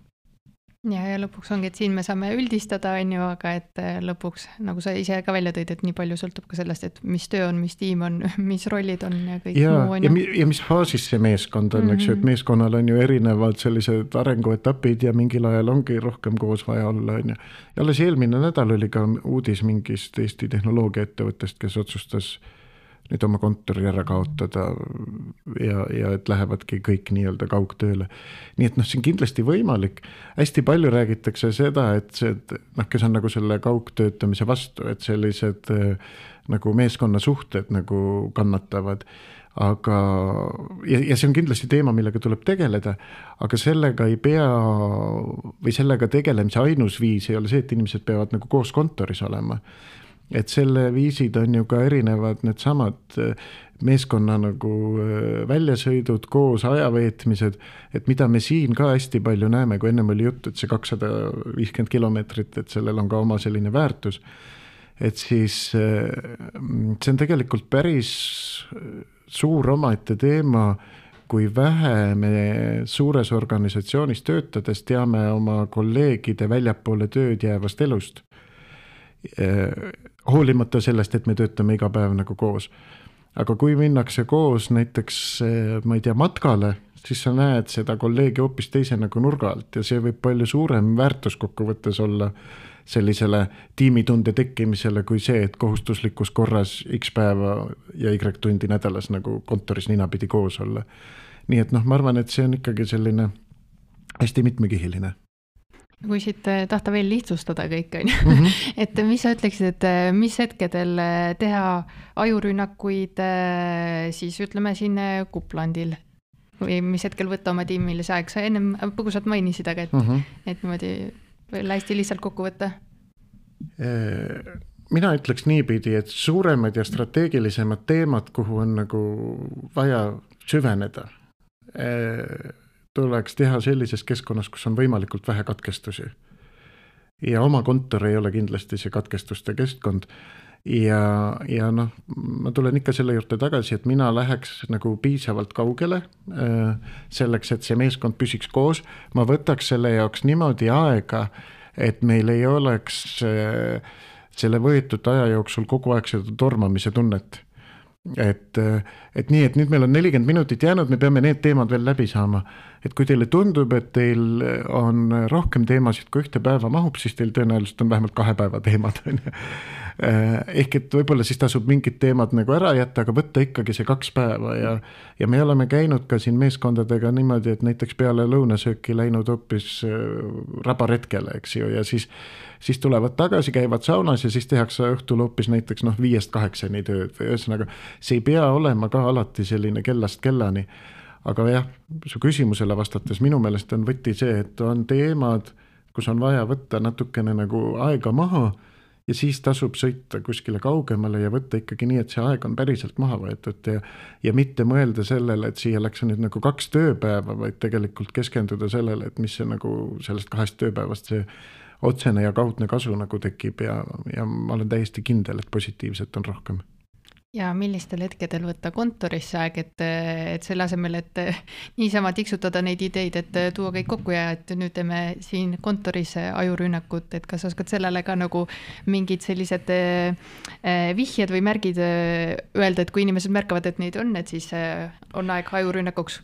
Ja, ja lõpuks ongi, et siin me saame üldistada, on ju, aga et lõpuks, nagu sa ise ka välja tõid, et nii palju sõltub ka sellest, et mis töö on, mis tiim on, mis rollid on ja kõik ja, muu on. Ja, ja mis faasis see meeskond on, mm-hmm. eks ju, et meeskonnal on ju erinevad sellised arenguetapid ja mingil ajal ongi rohkem koos vaja olla, on ju. Ja alles eelmine nädal oli ka uudis mingist Eesti tehnoloogiaettevõttest, kes otsustas nüüd oma kontori ära kaotada ja, ja et lähevadki kõik nii-öelda kaugtööle. Nii et noh, see on kindlasti võimalik. Hästi palju räägitakse seda, et see, noh, kes on nagu selle kaugtöötamise vastu, et sellised nagu meeskonna suhted nagu kannatavad. Aga, ja, ja see on kindlasti teema, millega tuleb tegeleda, aga sellega ei pea või sellega tegelemise ainus viis ei ole see, et inimesed peavad nagu koos kontoris olema. Et selle viisid on ju ka erinevad need samad meeskonna nagu väljasõidud, koos ajaveetmised, et mida me siin ka hästi palju näeme, kui ennem oli jutt, et see kakssada viiskümmend kilomeetrit, et sellel on ka oma selline väärtus, et siis see on tegelikult päris suur omaette teema, kui vähe me suures organisatsioonis töötades teame oma kolleegide väljapoole tööd jäävast elust. Hoolimata sellest, et me töötame iga päev nagu koos. Aga kui minnakse koos näiteks, ma ei tea, matkale, siis sa näed seda kolleegi hoopis teise nagu nurga alt ja see võib palju suurem väärtus kokkuvõttes olla sellisele tiimitunde tekkimisele kui see, et kohustuslikus korras X päeva ja Y tundi nädalas nagu kontoris ninapidi koos olla. Nii et noh, ma arvan, et see on ikkagi selline hästi mitmekihiline. Kui siit tahta veel lihtsustada kõik, on ju. Mm-hmm. Et mis sa ütleksid, et mis hetkedel teha ajurünnakuid siis ütleme siin Kuplandil või mis hetkel võtta oma tiimilise aeg? Sa ennem põgusalt mainisid, aga et, mm-hmm. et niimoodi veel hästi lihtsalt kokku võtta. Mina ütleks niipidi, et suuremad ja strateegilisemad teemad, kuhu on nagu vaja süveneda, tuleks teha sellises keskkonnas, kus on võimalikult vähe katkestusi. Ja oma kontor ei ole kindlasti see katkestuste keskkond. Ja, ja noh, ma tulen ikka selle juurde tagasi, et mina läheks nagu piisavalt kaugele selleks, et see meeskond püsiks koos. Ma võtaks selle jaoks niimoodi aega, et meil ei oleks selle võetud aja jooksul kogu aeg seda tormamise tunnet. Et, et nii, et nüüd meil on nelikümmend minutit jäänud, me peame need teemad veel läbi saama. Et kui teile tundub, et teil on rohkem teemasid kui ühte päeva mahub, siis teil tõenäoliselt on vähemalt kahe päeva teemad. Ehk et võib-olla siis tasub mingid teemad nagu ära jätta, aga võtta ikkagi see kaks päeva ja, ja me oleme käinud ka siin meeskondadega niimoodi, et näiteks peale lõunasööki läinud hoopis rabaretkele, eks ju, ja siis, siis tulevad tagasi, käivad saunas ja siis tehakse õhtul hoopis näiteks noh, viiest kaheksani tööd või ühesõnaga, see ei pea olema ka alati selline kellast kellani. Aga jah, su küsimusele vastates minu meelest on võti see, et on teemad, kus on vaja võtta natukene nagu aega maha ja siis tasub sõita kuskile kaugemale ja võtta ikkagi nii, et see aeg on päriselt maha võetud ja, ja mitte mõelda sellele, et siia läks nüüd nagu kaks tööpäeva, vaid tegelikult keskenduda sellele, et mis see nagu sellest kahest tööpäevast see otsene ja kaudne kasu nagu tekib ja, ja ma olen täiesti kindel, et positiivset on rohkem. Ja millistel hetkedel võtta kontorisse aeg, et, et selle asemel, et niisama tiksutada neid ideid, et tuua kõik kokku ja et nüüd teeme siin kontoris ajurünnakut, et kas oskad sellele ka nagu mingid sellised vihjed või märgid öelda, et kui inimesed märkavad, et neid on, et siis on aeg ajurünnakuks?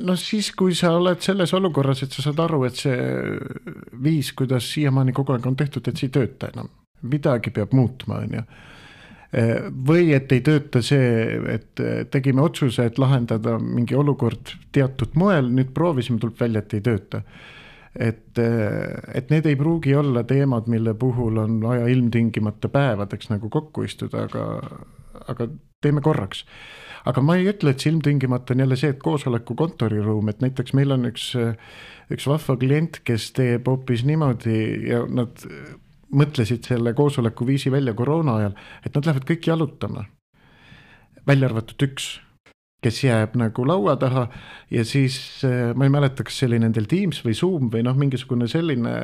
No siis, kui sa oled selles olukorras, et sa saad aru, et see viis, kuidas siiamaani kogu aeg on tehtud, et see ei tööta enam. Midagi peab muutma, on ju. Või et ei tööta see, et tegime otsuse, et lahendada mingi olukord teatud moel, nüüd proovisime, tuleb välja, et ei tööta. Et, et need ei pruugi olla teemad, mille puhul on vaja ilmtingimata päevadeks nagu kokku istuda, aga, aga teeme korraks. Aga ma ei ütle, et see ilmtingimata on jälle see, et koosoleku kontoriruum, et näiteks meil on üks, üks vahva klient, kes teeb hoopis niimoodi ja nad mõtlesid selle koosoleku viisi välja koroona ajal, et nad lähevad kõik jalutama. Välja arvatud üks, kes jääb nagu laua taha ja siis ma ei mäleta, kas see oli nendel Teams või Zoom või noh, mingisugune selline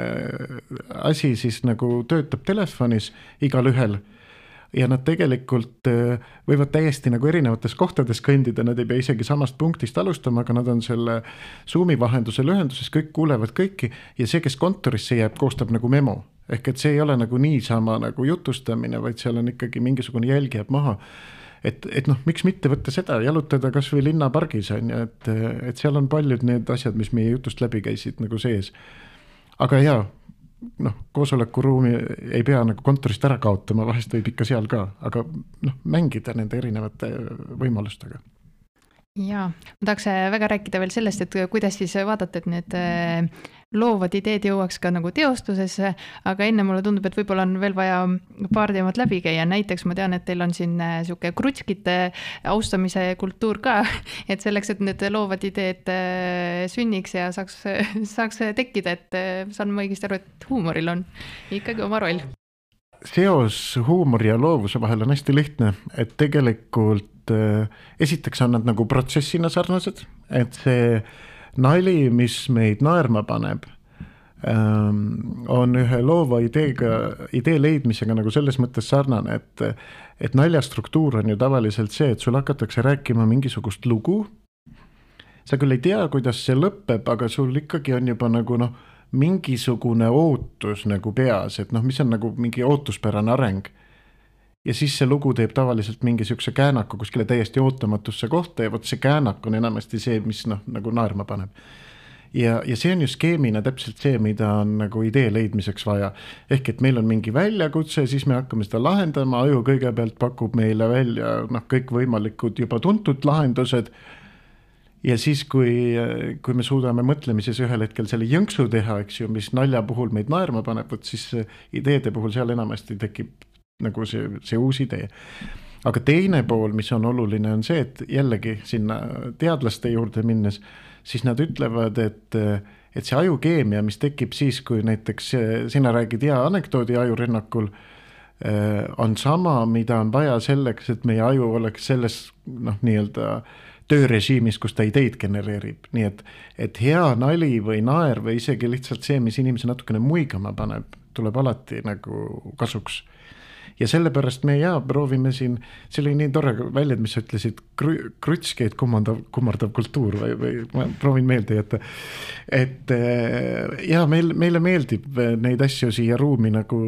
asi siis nagu töötab telefonis igal ühel ja nad tegelikult võivad täiesti nagu erinevates kohtades kõndida, nad ei pea isegi samast punktist alustama, aga nad on selle Zoomi vahendusel ühenduses, kõik kuulevad kõiki ja see, kes kontorisse jääb, koostab nagu memo. Ehk et see ei ole nagu niisama nagu jutustamine, vaid seal on ikkagi mingisugune jälg jääb maha. Et, et noh, miks mitte võtta seda, jalutada kas või linnapargis on ja et, et seal on paljud need asjad, mis meie jutust läbi käisid nagu sees. Aga jaa, noh, koosolekuruumi ei pea nagu kontorist ära kaotama, vahest võib ikka seal ka, aga noh, mängida nende erinevate võimalustega. Jaa, ma tahaks väga rääkida veel sellest, et kuidas siis vaadata, et need loovad ideed jõuaks ka nagu teostusesse, aga enne mulle tundub, et võib-olla on veel vaja paar teemat läbi käia. Näiteks ma tean, et teil on siin siuke krutskite austamise kultuur ka, et selleks, et need loovad ideed sünniks ja saaks, saaks tekkida, et saan ma õigesti aru, et huumoril on ikkagi oma roll. Seos huumori ja loovuse vahel on hästi lihtne, et tegelikult esiteks on nad nagu protsessina sarnased, et see nali, mis meid naerma paneb, on ühe loova ideega, idee leidmisega nagu selles mõttes sarnane, et, et naljastruktuur on ju tavaliselt see, et sul hakatakse rääkima mingisugust lugu sa küll ei tea, kuidas see lõpeb, aga sul ikkagi on juba nagu noh, mingisugune ootus nagu peas, et noh, mis on nagu mingi ootuspärane areng. Ja siis see lugu teeb tavaliselt mingi siukse käänaku kuskile täiesti ootamatusse kohta ja vot see käänak on enamasti see, mis noh, nagu naerma paneb. Ja, ja see on ju skeemina täpselt see, mida on nagu idee leidmiseks vaja. Ehk et meil on mingi väljakutse, siis me hakkame seda lahendama, aju kõigepealt pakub meile välja noh, kõik võimalikud juba tuntud lahendused. Ja siis, kui, kui me suudame mõtlemises ühel hetkel selle jõnksu teha, eks ju, mis nalja puhul meid naerma paneb, võt siis ideede puhul seal enamasti tekib nagu see, see uus idee. Aga teine pool, mis on oluline, on see, et jällegi sinna teadlaste juurde minnes, siis nad ütlevad, et, et see ajukeemia, mis tekib siis, kui näiteks sina räägid hea anekdoodi ajurinnakul, on sama, mida on vaja selleks, et meie aju oleks selles noh, nii-öelda töörežiimis, kus ta ideid genereerib. Nii et, et hea nali või naer või isegi lihtsalt see, mis inimese natukene muigama paneb, tuleb alati nagu kasuks. Ja sellepärast me jaa, proovime siin, see oli nii tore väljend, mis ütlesid krutskeid kummardav, kummardav kultuur või, või ma proovin meelde jätta. Et jaa, meil, meile meeldib neid asju siia ruumi nagu,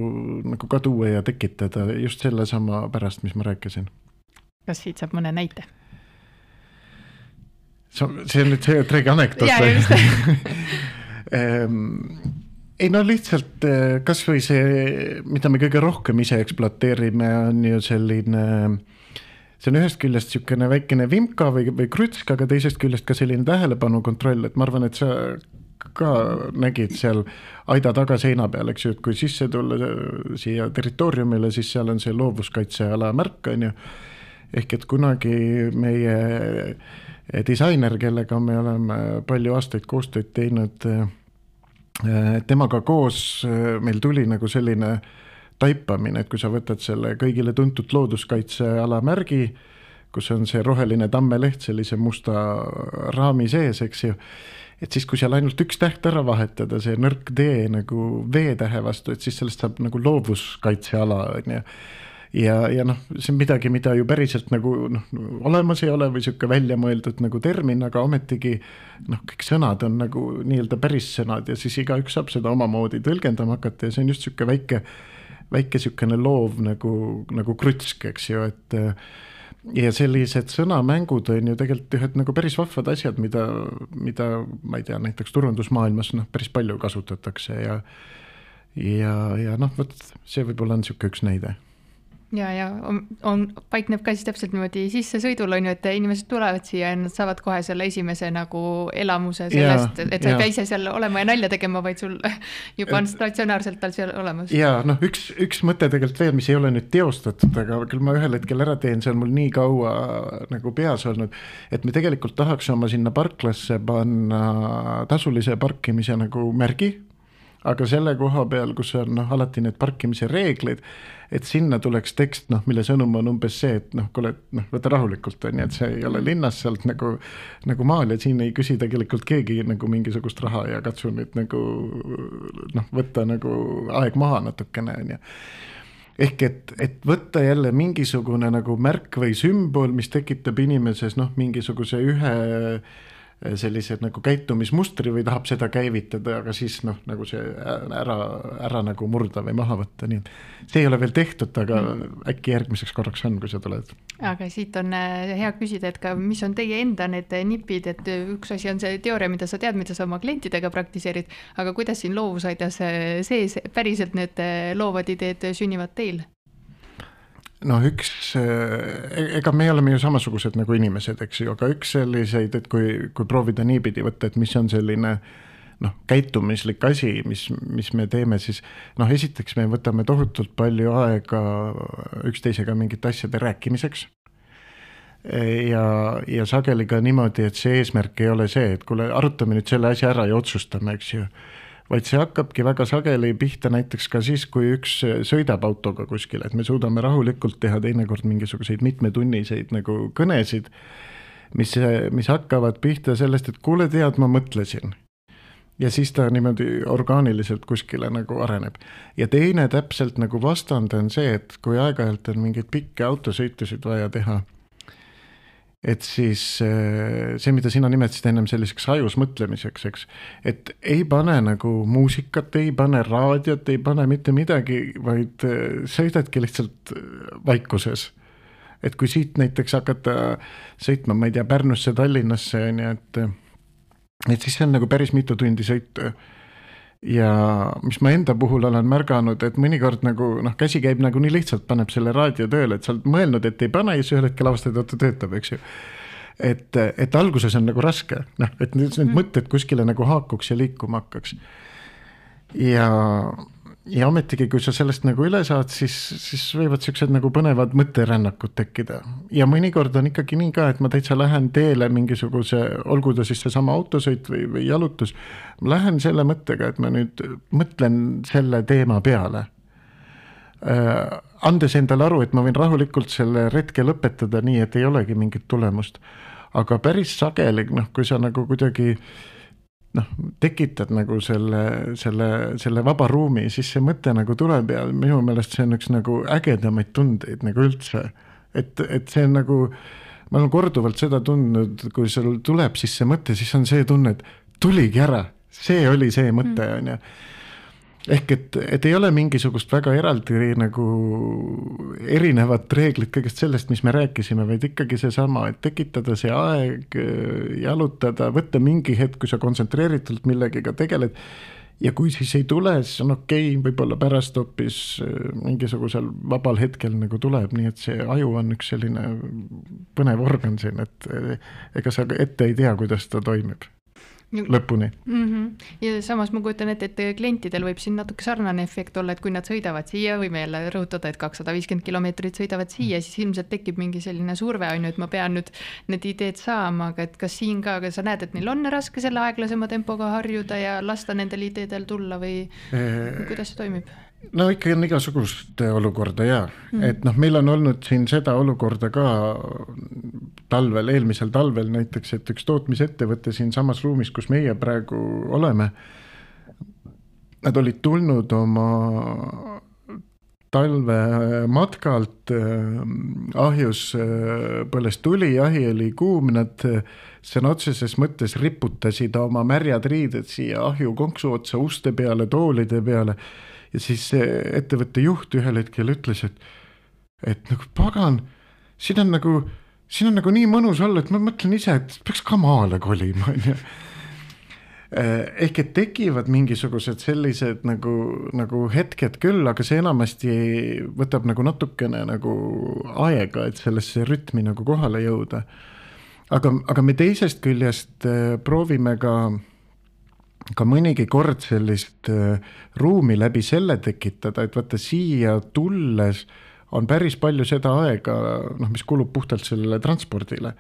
nagu ka tuua ja tekitada just selle sama pärast, mis ma rääkisin. Kas siit saab mõne näite? See on nüüd see tregi anekdoot. Jaa, just. Ei no lihtsalt kas või see, mida me kõige rohkem ise ekspluateerime, on ju selline, see on ühest küljest siukene väikene vimka või, või krutsk, aga teisest küljest ka selline tähelepanu kontroll, et ma arvan, et sa ka nägid seal aida taga seina peal, eks ju, et kui sisse tulla siia territooriumile, siis seal on see loovuskaitseala märk, on ju, ehk et kunagi meie disainer, kellega me oleme palju aastaid koostööd teinud, temaga koos meil tuli nagu selline taipamine, et kui sa võtad selle kõigile tuntud looduskaitseala märgi, kus on see roheline tammeleht sellise musta raami sees, eks ju, et siis kui seal ainult üks täht ära vahetada, see nõrk D nagu V-tähe vastu, et siis sellest saab nagu loovuskaitseala, on ju. Ja, ja noh, see on midagi, mida ju päriselt nagu noh, olemas ei ole või siuke välja mõeldud nagu termin, aga ometigi noh, kõik sõnad on nagu nii-öelda päris sõnad ja siis iga üks saab seda omamoodi tõlgendama hakata ja see on just siuke väike, väike siukene loov nagu, nagu krutsk, eks ju, et ja sellised sõnamängud on ju tegelikult ühed nagu päris vahvad asjad, mida, mida ma ei tea, näiteks turundusmaailmas noh, päris palju kasutatakse ja, ja, ja noh, võt, see võib-olla on siuke üks näide. Ja, ja on, on, paikneb ka siis täpselt niimoodi sisse sõidul on ju, et inimesed tulevad siia ja nad saavad kohe selle esimese nagu elamuse sellest, ja, et sa ei pea ise seal olema ja nalja tegema, vaid sul juba on statsionaarselt tal seal olemas. Ja noh, üks, üks mõte tegelikult veel, mis ei ole nüüd teostatud, aga küll ma ühel hetkel ära teen, see on mul nii kaua nagu peas olnud, et me tegelikult tahaks oma sinna parklasse panna tasulise parkimise nagu märgi, aga selle koha peal, kus on noh, alati need parkimise reeglid, et sinna tuleks tekst, noh, mille sõnum on umbes see, et noh, kuule, noh, võta rahulikult on, et see ei ole linnas sealt nagu, nagu maal ja siin ei küsi tegelikult keegi nagu mingisugust raha ja katsu nüüd nagu noh, võtta nagu aeg maha natukene on ja ehk et, et võtta jälle mingisugune nagu märk või sümbol, mis tekitab inimeses noh, mingisuguse ühe sellised nagu käitumismustri või tahab seda käivitada, aga siis noh, nagu see ära, ära nagu murda või maha võtta, nii et see ei ole veel tehtud, aga mm. äkki järgmiseks korraks on, kui sa tuled. Aga siit on hea küsida, et ka mis on teie enda need nipid, et üks asi on see teooria, mida sa tead, mida sa oma klientidega praktiseerid, aga kuidas siin loovusaidas sees päriselt need loovad ideed sünnivad teil? No üks, ega me oleme ju samasugused nagu inimesed, eks ju, aga üks selliseid, et kui, kui proovida niipidi võtta, et mis on selline noh, käitumislik asi, mis, mis me teeme, siis noh, esiteks me võtame tohutult palju aega üksteisega mingite asjade rääkimiseks ja, ja sageli ka niimoodi, et see eesmärk ei ole see, et kuule, arutame nüüd selle asja ära ja otsustame, eks ju, vaid see hakkabki väga sageli pihta näiteks ka siis, kui üks sõidab autoga kuskile, et me suudame rahulikult teha teinekord mingisuguseid mitmetunniseid nagu kõnesid, mis, mis hakkavad pihta sellest, et kuule tead, ma mõtlesin. Ja siis ta niimoodi orgaaniliselt kuskile nagu areneb. Ja teine täpselt nagu vastand on see, et kui aeg-ajalt on mingeid pikke autosõitusid vaja teha, et siis see, mida sina nimetasid ennem selliseks ajus mõtlemiseks, eks, et ei pane nagu muusikat, ei pane raadiot, ei pane mitte midagi, vaid sõidadki lihtsalt vaikuses. Et kui siit näiteks hakata sõitma, ma ei tea, Pärnusse, Tallinnasse, nii et, et siis see on nagu päris mitu tundi sõitu. Ja mis ma enda puhul olen märganud, et mõnikord nagu, noh, käsi käib nagu nii lihtsalt, paneb selle raadio tööle, et sa oled mõelnud, et ei pane ja siis ühel hetkel avastad, et ta töötab, eks ju. Et, et alguses on nagu raske, noh, et need mm. mõtted kuskile nagu haakuks ja liikuma hakkaks. Ja, ja ometigi, kui sa sellest nagu üle saad, siis, siis võivad sellised nagu põnevad mõtterännakud tekkida. Ja mõnikord on ikkagi nii ka, et ma täitsa lähen teele mingisuguse, olgu ta siis see sama autosõit või, või jalutus, ma lähen selle mõttega, et ma nüüd mõtlen selle teema peale. Äh, andes endale aru, et ma võin rahulikult selle retke lõpetada nii, et ei olegi mingit tulemust. Aga päris sageli, noh, kui sa nagu kuidagi noh, tekitad nagu selle, selle, selle vaba ruumi, siis see mõte nagu tuleb ja minu meelest see on üks nagu ägedamaid tundeid nagu üldse. Et, et see on nagu, ma olen korduvalt seda tundnud, kui sul tuleb siis see mõte, siis on see tunne, et tuligi ära, see oli see mõte, on ju. Ehk et, et ei ole mingisugust väga eraldi nagu erinevat reeglit kõigest sellest, mis me rääkisime, vaid ikkagi see sama, et tekitada see aeg, jalutada, võtta mingi hetk, kui sa kontsentreeritult millegiga tegeled ja kui siis ei tule, siis on okei, okay, võib-olla pärast hoopis mingisugusel vabal hetkel nagu tuleb, nii et see aju on üks selline põnev organ siin, et ega sa ette ei tea, kuidas ta toimib. Lõpuni. Mm-hmm. Ja samas ma kujutan ette, et klientidel võib siin natuke sarnane efekt olla, et kui nad sõidavad siia, võime jälle rõhutada, et kakssada viiskümmend kilomeetrit sõidavad siia, siis ilmselt tekib mingi selline surve, on ju, et ma pean nüüd need ideed saama, aga et kas siin ka, aga sa näed, et neil on raske selle aeglasema tempoga harjuda ja lasta nendel ideedel tulla või eee... kuidas see toimib? No ikka on igasugust olukorda ja, mm. et noh, meil on olnud siin seda olukorda ka talvel, eelmisel talvel näiteks, et üks tootmisettevõte siin samas ruumis, kus meie praegu oleme, nad olid tulnud oma talve matkalt, ahjus põles tuli, ahi oli kuum, nad sõna otseses mõttes riputasid oma märjad riided siia ahju konksu otsa, uste peale, toolide peale. Ja siis ettevõtte juht ühel hetkel ütles, et, et nagu pagan, siin on nagu, siin on nagu nii mõnus olla, et ma mõtlen ise, et peaks ka maale kolima. Ehk et tekivad mingisugused sellised nagu, nagu hetked küll, aga see enamasti võtab nagu natukene nagu aega, et sellesse rütmi nagu kohale jõuda. Aga, aga me teisest küljest proovime ka ka mõnigi kord sellist ruumi läbi selle tekitada, et vaata siia tulles on päris palju seda aega, noh, mis kulub puhtalt sellele transpordile.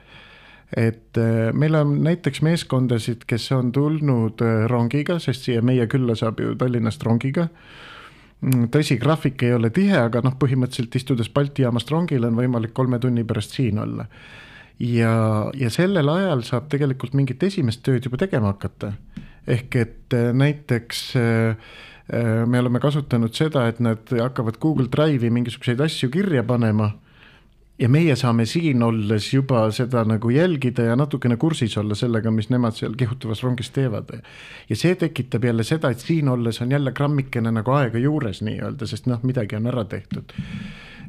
Et meil on näiteks meeskondasid, kes on tulnud rongiga, sest siia meie külla saab ju Tallinnast rongiga. Tõsi, graafik ei ole tihe, aga noh, põhimõtteliselt istudes Balti jaamast rongile on võimalik kolme tunni pärast siin olla. Ja, ja sellel ajal saab tegelikult mingit esimest tööd juba tegema hakata. Ehk et näiteks me oleme kasutanud seda, et nad hakkavad Google Drive'i mingisuguseid asju kirja panema ja meie saame siin olles juba seda nagu jälgida ja natukene kursis olla sellega, mis nemad seal kihutavas rongis teevad. Ja see tekitab jälle seda, et siin olles on jälle grammikene nagu aega juures nii öelda, sest noh, midagi on ära tehtud.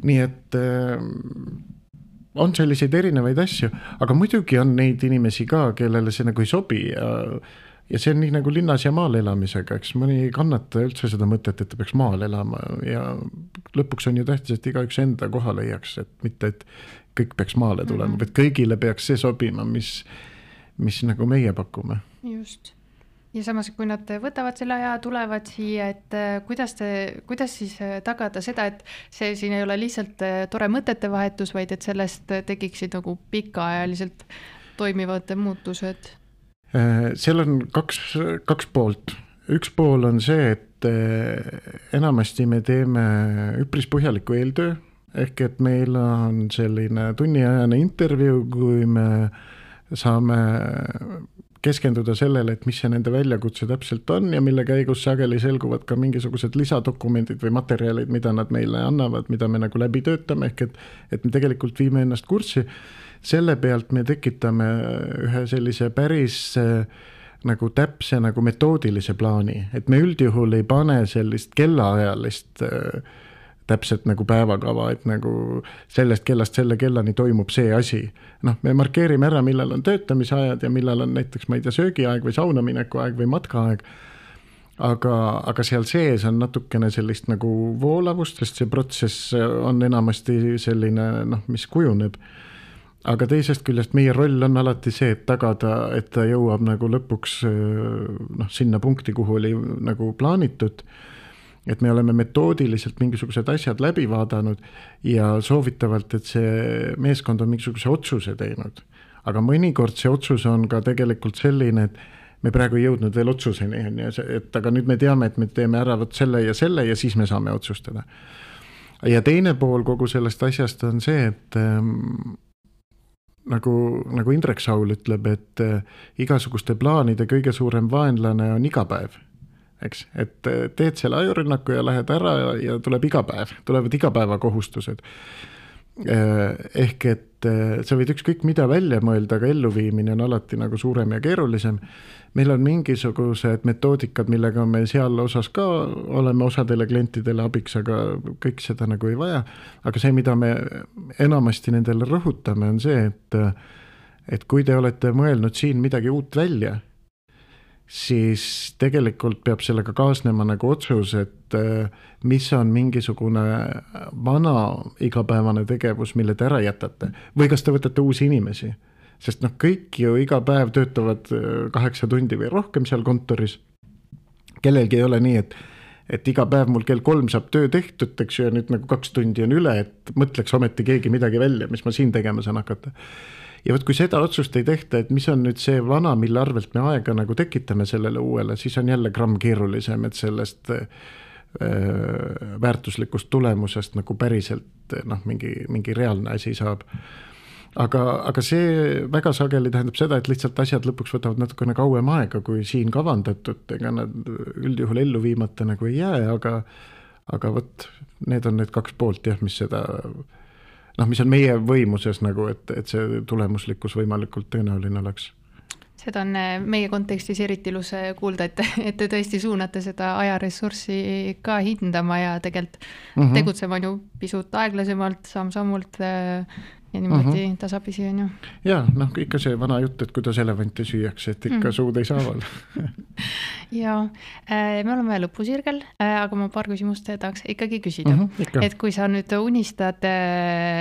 Nii et on selliseid erinevaid asju, aga muidugi on neid inimesi ka, kellele see nagu ei sobi ja Ja see on nii nagu linnas ja maal elamisega, eks mõni kannata üldse seda mõtet, et ta peaks maal elama ja lõpuks on ju tähtis, et iga üks enda koha leiaks, et mitte, et kõik peaks maale tulema, mm-hmm. vaid kõigile peaks see sobima, mis, mis nagu meie pakume. Just. Ja samas, kui nad võtavad selle aja, tulevad siia, et kuidas, te, kuidas siis tagada seda, et see siin ei ole lihtsalt tore mõtete vahetus, vaid et sellest tekiksid nagu pikaajaliselt toimivad muutused? Seal on kaks, kaks poolt. Üks pool on see, et enamasti me teeme üpris põhjaliku eeltöö, ehk et meil on selline tunniajane intervjuu, kui me saame keskenduda sellele, et mis see nende väljakutse täpselt on ja mille käigus sageli selguvad ka mingisugused lisadokumendid või materjalid, mida nad meile annavad, mida me nagu läbi töötame, ehk et, et me tegelikult viime ennast kurssi. Selle pealt me tekitame ühe sellise päris nagu täpse nagu metoodilise plaani, et me üldjuhul ei pane sellist kellaajalist täpselt nagu päevakava, et nagu sellest kellast selle kellani toimub see asi. Noh, me markeerime ära, millal on töötamisajad ja millal on näiteks, ma ei tea, söögiaeg või saunamineku aeg või matkaaeg. Aga, aga seal sees on natukene sellist nagu voolavust, sest see protsess on enamasti selline, noh, mis kujuneb. Aga teisest küljest meie roll on alati see, et tagada, et ta jõuab nagu lõpuks noh, sinna punkti, kuhu oli nagu plaanitud. Et me oleme metoodiliselt mingisugused asjad läbi vaadanud ja soovitavalt, et see meeskond on mingisuguse otsuse teinud. Aga mõnikord see otsus on ka tegelikult selline, et me praegu ei jõudnud veel otsuseni, et aga nüüd me teame, et me teeme ära võt selle ja selle ja siis me saame otsustada. Ja teine pool kogu sellest asjast on see, et ähm, nagu, nagu Indrek Saul ütleb, et äh, igasuguste plaanide kõige suurem vaenlane on iga päev. Eks, et teed selle ajurünnaku ja lähed ära ja, ja tuleb iga päev, tulevad iga päeva kohustused. Ehk et sa võid ükskõik mida välja mõelda, aga elluviimine on alati nagu suurem ja keerulisem. Meil on mingisugused metoodikad, millega me seal osas ka oleme osadele klientidele abiks, aga kõik seda nagu ei vaja. Aga see, mida me enamasti nendele rõhutame, on see, et, et kui te olete mõelnud siin midagi uut välja, siis tegelikult peab sellega kaasnema nagu otsus, et mis on mingisugune vana igapäevane tegevus, mille te ära jätate. Või kas te võtate uusi inimesi. Sest noh, kõik ju iga päev töötavad kaheksa tundi või rohkem seal kontoris. Kellelgi ei ole nii, et, et iga päev mul kell kolm saab töö tehtud, eks ju, ja nüüd nagu kaks tundi on üle, et mõtleks ometi keegi midagi välja, mis ma siin tegema saan hakata. Ja võt, kui seda otsust ei tehta, et mis on nüüd see vana, mille arvelt me aega nagu tekitame sellele uuele, siis on jälle gramm keerulisem, et sellest äh, väärtuslikust tulemusest nagu päriselt noh, mingi, mingi reaalne asi saab. Aga, aga see väga sageli tähendab seda, et lihtsalt asjad lõpuks võtavad natukene kauem aega, kui siin kavandatud, ega nad üldjuhul ellu viimata nagu ei jää, aga, aga võt, need on need kaks poolt, jah, mis seda... noh, mis on meie võimuses nagu, et, et see tulemuslikkus võimalikult tõenäoline oleks. Seda on meie kontekstis eriti ilus kuulda, et, et te tõesti suunate seda ajaressurssi ka hindama ja tegelikult mm -hmm. tegutsema ju pisut aeglasemalt, samm-sammult ja niimoodi mm -hmm. tasapisi on ju. Ja, noh, ikka see vana jutt, et kuidas elevanti süüakse, et ikka mm -hmm. suud ei saaval. Ja, me oleme lõpusirgel, aga ma paar küsimust tahaks ikkagi küsida. Mm -hmm, et kui sa nüüd unistad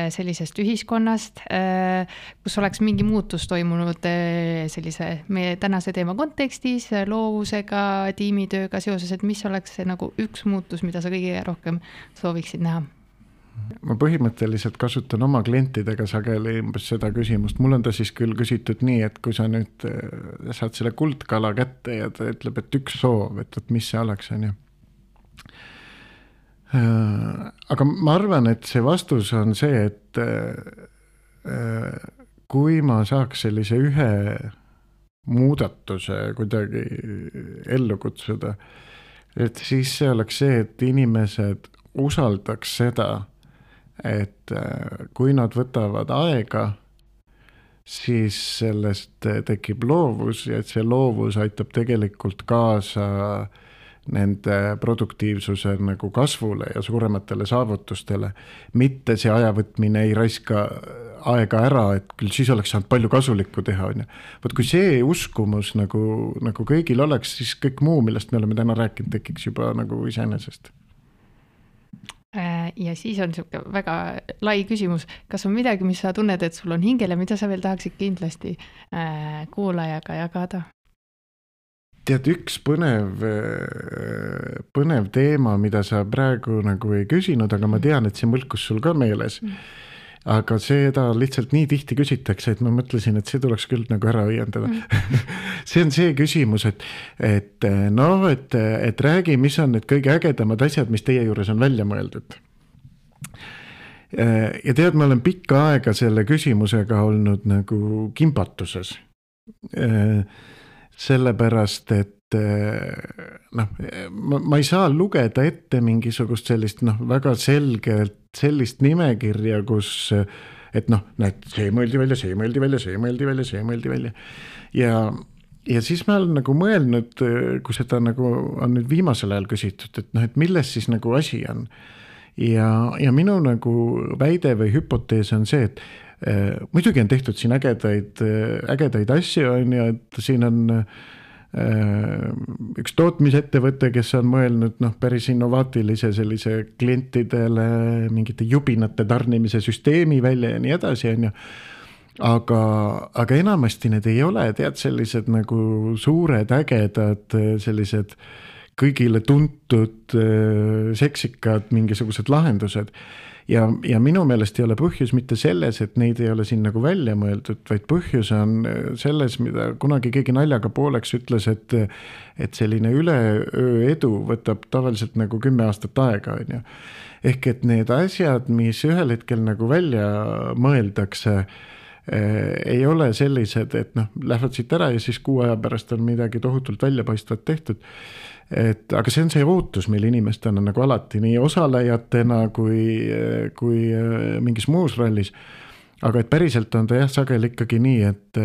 sellisest ühiskonnast, kus oleks mingi muutus toimunud sellise meie tänase teema kontekstis, loovusega, tiimitööga seoses, et mis oleks see nagu üks muutus, mida sa kõige rohkem sooviksid näha? Ma põhimõtteliselt kasutan oma klientidega sageli umbes seda küsimust. Mul on ta siis küll küsitud nii, et kui sa nüüd saad selle kuldkala kätte ja ta ütleb, et üks soov, et, et mis see oleks, on ju. Aga ma arvan, et see vastus on see, et kui ma saaks sellise ühe muudatuse kuidagi ellu kutsuda, et siis see oleks see, et inimesed usaldaks seda, et kui nad võtavad aega, siis sellest tekib loovus ja et see loovus aitab tegelikult kaasa nende produktiivsuse nagu kasvule ja suurematele saavutustele. Mitte see ajavõtmine ei raiska aega ära, et küll siis oleks saanud palju kasulikku teha. On. Võt, kui see uskumus nagu, nagu kõigil oleks, siis kõik muu, millest me oleme täna rääkinud, tekiks juba nagu iseenesest. Ja siis on siuke väga lai küsimus. Kas on midagi, mis sa tunned, et sul on hingel ja mida sa veel tahaksid kindlasti kuulajaga jagada? Tead, üks põnev, põnev teema, mida sa praegu nagu ei küsinud, aga ma tean, et see mõlkus sul ka meeles. Mm. Aga seda lihtsalt nii tihti küsitakse, et ma mõtlesin, et see tuleks küll nagu ära õiendada. Mm. See on see küsimus, et, et, no, et, et räägi, mis on need kõige ägedamad asjad, mis teie juures on välja mõeldud. Ja tead, ma olen pikka aega selle küsimusega olnud nagu kimbatuses. sellepärast, et noh, ma, ma ei saa lugeda ette mingisugust sellist noh, väga selgelt sellist nimekirja, kus et noh, näed, see mõeldi välja, see mõeldi välja, see mõeldi välja, see mõeldi välja ja ja siis ma olen nagu mõelnud, kui seda nagu on nüüd viimasel ajal küsitud, et noh, et milles siis nagu asi on ja, ja minu nagu väide või hüpotees on see, et äh, muidugi on tehtud siin ägedaid, ägedaid asju on ju, et siin on üks tootmisettevõte, kes on mõelnud noh, päris innovaatilise sellise klientidele mingite jubinate tarnimise süsteemi välja ja nii edasi, on ju. Aga, aga enamasti need ei ole, tead, sellised nagu suured, ägedad, sellised kõigile tuntud, seksikad mingisugused lahendused. Ja, ja minu meelest ei ole põhjus mitte selles, et neid ei ole siin nagu välja mõeldud, vaid põhjus on selles, mida kunagi keegi naljaga pooleks ütles, et, et selline üleöö edu võtab tavaliselt nagu kümme aastat aega. On ju. Ehk et need asjad, mis ühel hetkel nagu välja mõeldakse, ei ole sellised, et noh, lähevad siit ära ja siis kuu aja pärast on midagi tohutult väljapaistvat tehtud. Et, aga see on see ootus meil inimestena nagu alati nii osalejatena kui, kui mingis muus rallis. Aga et päriselt on ta jah sageli ikkagi nii, et,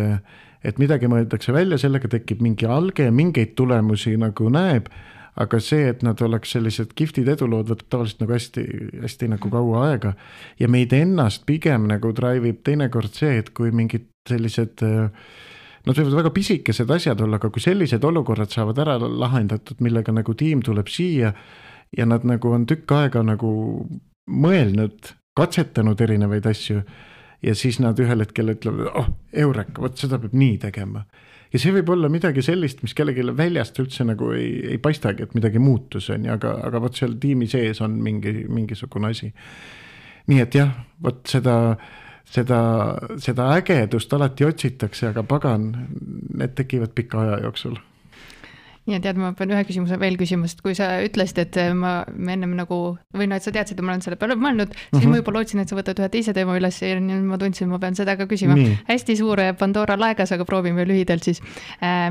et midagi mõeldakse välja, sellega tekib mingi alge, mingeid tulemusi nagu näeb, aga see, et nad oleks sellised kihvtid edulood, võtab tavaliselt nagu hästi, hästi nagu kaua aega. Ja meid ennast pigem nagu drive'ib teinekord see, et kui mingid sellised nad võivad väga pisikesed asjad olla, aga kui sellised olukorrad saavad ära lahendatud, millega nagu tiim tuleb siia ja nad nagu on tükk aega nagu mõelnud, katsetanud erinevaid asju ja siis nad ühel hetkel ütlevad, oh, eureka, võt seda peab nii tegema. Ja see võib olla midagi sellist, mis kellegi väljast üldse nagu ei, ei paistagi, et midagi muutus on, aga, aga võt seal tiimi sees on mingi, mingisugune asi. Nii et jah, võt seda Seda, seda ägedust alati otsitakse, aga pagan, need tekivad pika aja jooksul. Ja tead, ma pean ühe küsimuse veel küsimust, kui sa ütlesid, et ma, ma ennem nagu, või no, et sa teadsid, et ma olen selle peale mõelnud, siis mm-hmm. ma juba lootsin, et sa võtad ühe teise teema üles ja ma tundsin, ma pean seda ka küsima. Nii. Hästi suure Pandora laegas, aga proovime lühidalt siis.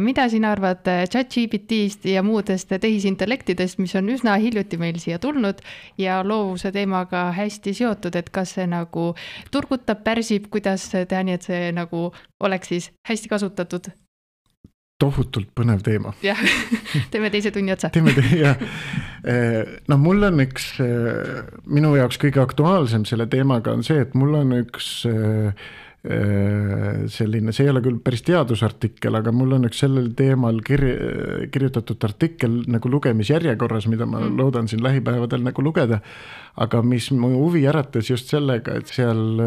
Mida sina arvad ChatGPT-st ja muudest tehisintellektidest, mis on üsna hiljuti meil siia tulnud ja loovuse teemaga hästi seotud, et kas see nagu turgutab, pärsib, kuidas teha nii, et see nagu oleks siis hästi kasutatud? Tohutult põnev teema. Jah, teeme teise tunni otsa. Teeme te, jah. No mul on üks, minu jaoks kõige aktuaalsem selle teemaga on see, et mul on üks selline, see ei ole küll päris teadusartikkel, aga mul on üks sellel teemal kir- kirjutatud artikkel nagu lugemisjärjekorras, mida ma loodan siin lähipäevadel nagu lugeda, aga mis mu huvi äratas just sellega, et seal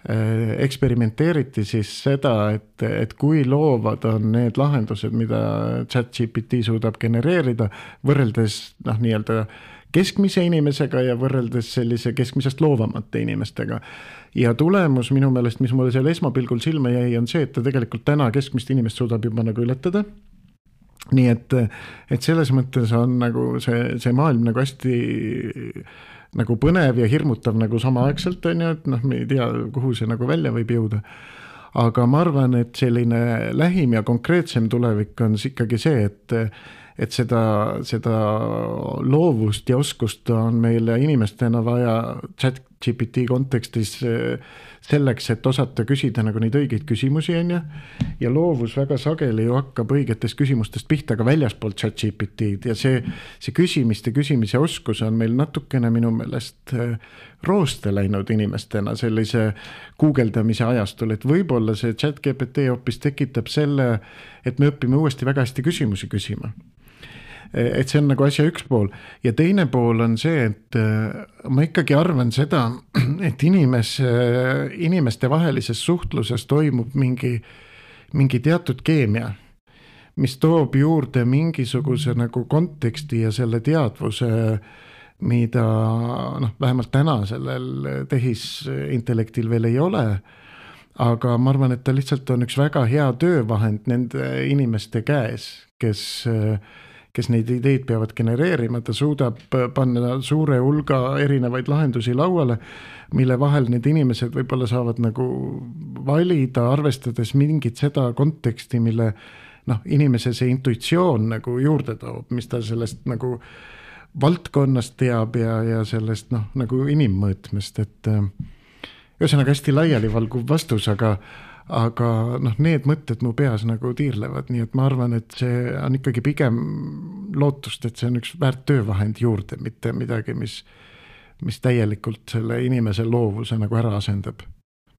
eksperimenteeriti siis seda, et, et kui loovad on need lahendused, mida ChatGPT suudab genereerida, võrreldes noh, nii-öelda keskmise inimesega ja võrreldes sellise keskmisest loovamate inimestega. Ja tulemus minu meelest, mis mulle seal esmapilgul silma jäi, on see, et ta tegelikult täna keskmist inimest suudab juba nagu ületada. Nii et, et selles mõttes on nagu see, see maailm nagu hästi nagu põnev ja hirmutav nagu samaaegselt on ju, et noh, me ei tea, kuhu see nagu välja võib jõuda. Aga ma arvan, et selline lähim ja konkreetsem tulevik on ikkagi see, et, et seda, seda loovust ja oskust on meile inimestena vaja ChatGPT kontekstis selleks, et osata küsida nagu neid õigeid küsimusi on ju. Ja loovus väga sageli ju hakkab õigetest küsimustest pihta ka väljaspoolt ChatGPT-d ja see, see küsimiste küsimise oskus on meil natukene minu meelest rooste läinud inimestena sellise guugeldamise ajastul, et võib-olla see ChatGPT hoopis tekitab selle, et me õpime uuesti väga hästi küsimusi küsima. Et see on nagu asja üks pool ja teine pool on see, et ma ikkagi arvan seda, et inimes, inimeste vahelises suhtluses toimub mingi, mingi teatud keemia, mis toob juurde mingisuguse nagu konteksti ja selle teadvuse, mida noh, vähemalt täna sellel tehisintellektil veel ei ole, aga ma arvan, et ta lihtsalt on üks väga hea töövahend nende inimeste käes, kes kes neid ideid peavad genereerima, ta suudab panna suure hulga erinevaid lahendusi lauale, mille vahel need inimesed võib-olla saavad nagu valida, arvestades mingit seda konteksti, mille, noh, inimese see intuitsioon nagu juurde toob, mis ta sellest nagu valdkonnast teab ja, ja sellest noh, nagu inimmõõtmest, et ühesõnaga hästi laialivalguv vastus, aga aga noh, need mõtted mu peas nagu tiirlevad, nii et ma arvan, et see on ikkagi pigem lootust, et see on üks väärt töövahend juurde, mitte midagi, mis, mis täielikult selle inimese loovuse nagu ära asendab.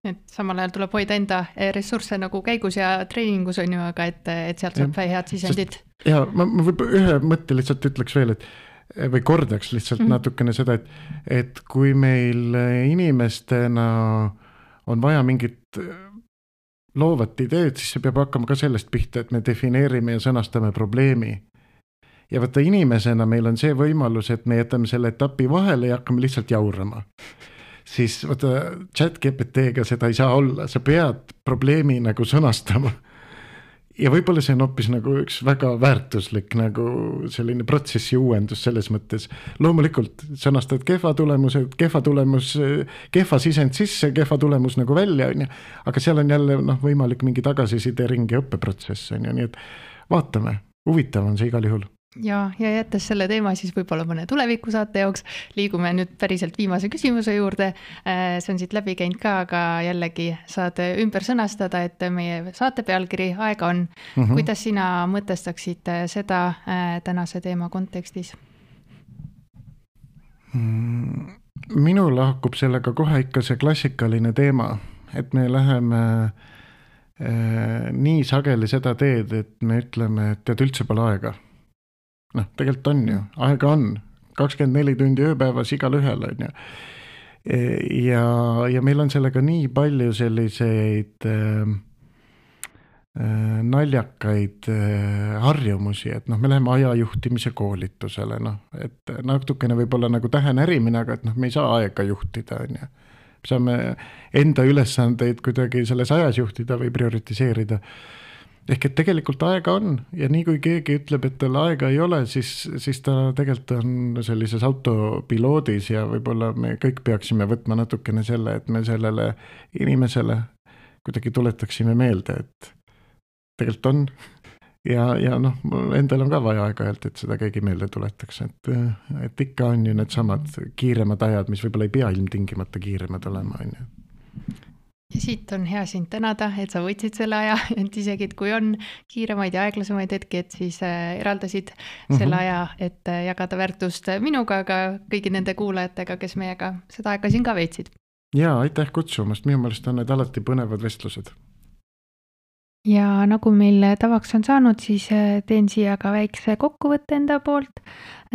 Et samal ajal tuleb hoida enda ressursse nagu käigus ja treeningus on ju, aga et, et sealt saab head sisendid. Ja ma, ma võib ühe mõtte lihtsalt ütleks veel, et või kordaks lihtsalt mm-hmm. natukene seda, et, et kui meil inimestena on vaja mingit loovat ideed, siis see peab hakkama ka sellest pihta, et me defineerime ja sõnastame probleemi. Ja võtta inimesena meil on see võimalus, et me jätame selle etapi vahele ja hakkame lihtsalt jaurama. Siis võtta chat G P T-ga seda ei saa olla, sa pead probleemi nagu sõnastama. Ja võib-olla see on hoopis nagu üks väga väärtuslik nagu selline protsessi uuendus selles mõttes. Loomulikult sõnastad kehva tulemuse, kehva tulemus, kehva sisend sisse, kehva tulemus nagu välja, on ja, aga seal on jälle noh, võimalik mingi tagasiside ring ja õppeprotsess, on ja, nii et vaatame, huvitav on see igal juhul. Ja, ja jättes selle teema siis võib-olla mõne tuleviku saate jooks, liigume nüüd päriselt viimase küsimuse juurde. See on siit läbi käinud ka, aga jällegi saad ümber sõnastada, et meie saate pealkiri Aega on. Mm-hmm. Kuidas sina mõtestaksid seda tänase teema kontekstis? Minul hakkub sellega kohe ikka see klassikaline teema, et me läheme nii sageli seda teed, et me ütleme, et tead üldse pole aega. Noh, tegelikult on ju, aega on, kakskümmend neli tundi ööpäevas igal ühel on ju. Ja, ja meil on sellega nii palju selliseid äh, naljakaid äh, harjumusi, et noh, me läheme ajajuhtimise koolitusele, noh, et natukene võib-olla nagu tähenärimine, aga et noh, me ei saa aega juhtida, on ju. Me saame enda ülesandeid kuidagi selles ajas juhtida või prioritiseerida. Ehk et tegelikult aega on ja nii kui keegi ütleb, et tal aega ei ole, siis, siis ta tegelikult on sellises autopiloodis ja võib-olla me kõik peaksime võtma natukene selle, et me sellele inimesele kuidagi tuletaksime meelde, et tegelikult on ja, ja noh, endal on ka vaja aega-ajalt, et seda keegi meelde tuletaks, et, et ikka on ju need samad kiiremad ajad, mis võib-olla ei pea ilmtingimata kiiremad olema, on ju. Ja siit on hea sind tänada, et sa võtsid selle aja, et isegi, et kui on kiiremaid ja aeglasemaid hetki, et siis eraldasid mm-hmm. selle aja, et jagada väärtust minuga, aga kõigi nende kuulajatega, kes meiega seda aega siin ka veetsid. Ja, aitäh kutsumast, minu meelest on need alati põnevad vestlused. Ja nagu meil tavaks on saanud, siis teen siia ka väikse kokkuvõtte enda poolt,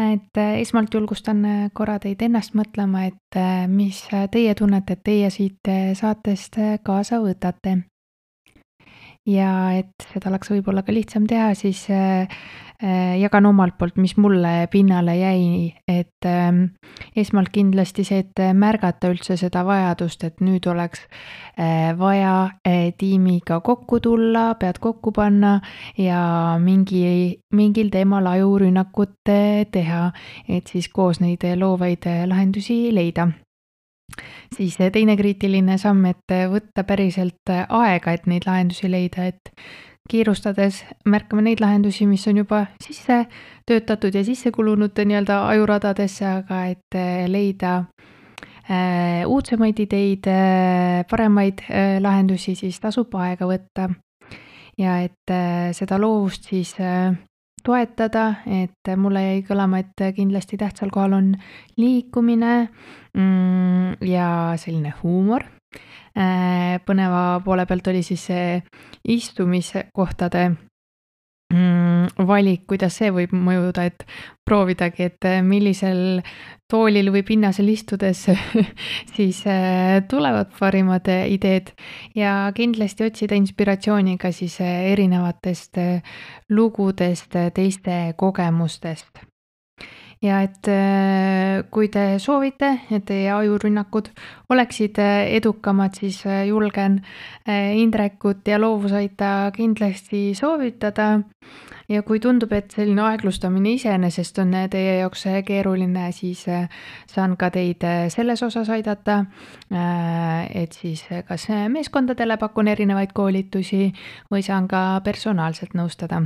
et esmalt julgustan korra teid ennast mõtlema, et mis teie tunnete, et teie siit saatest kaasa võtate. Ja et seda oleks võib-olla ka lihtsam teha, siis jagan omalt poolt, mis mulle pinnale jäi, et esmalt kindlasti see, et märgata üldse seda vajadust, et nüüd oleks vaja tiimiga kokku tulla, pead kokku panna ja mingi, mingil teemal ajurünnakut teha, et siis koos neid loovaid lahendusi leida. Siis teine kriitiline samm, et võtta päriselt aega, et neid lahendusi leida, et kiirustades märkame neid lahendusi, mis on juba sisse töötatud ja sisse kulunud nii-öelda ajuradadesse, aga et leida äh, uudsemaid ideid, äh, paremaid äh, lahendusi, siis tasub aega võtta. Ja et äh, seda loovust siis äh, toetada, et mulle jäi kõlama, et kindlasti tähtsal kohal on liikumine mm, ja selline huumor. Põneva poole pealt oli siis see istumiskohtade mm, valik, kuidas see võib mõjuda, et proovidagi, et millisel toolil või pinnasel istudes siis tulevad parimad ideed ja kindlasti otsida inspiratsiooni ka siis erinevatest lugudest, teiste kogemustest. ja et kui te soovite, et teie ajurünnakud oleksid edukamad, siis julgen Indrekut ja loovusaita kindlasti soovitada. Ja kui tundub, et selline aeglustamine iseenesest on teie jaoks keeruline, siis saan ka teid selles osas aidata, et siis kas meeskondadele pakun erinevaid koolitusi või saan ka personaalselt nõustada.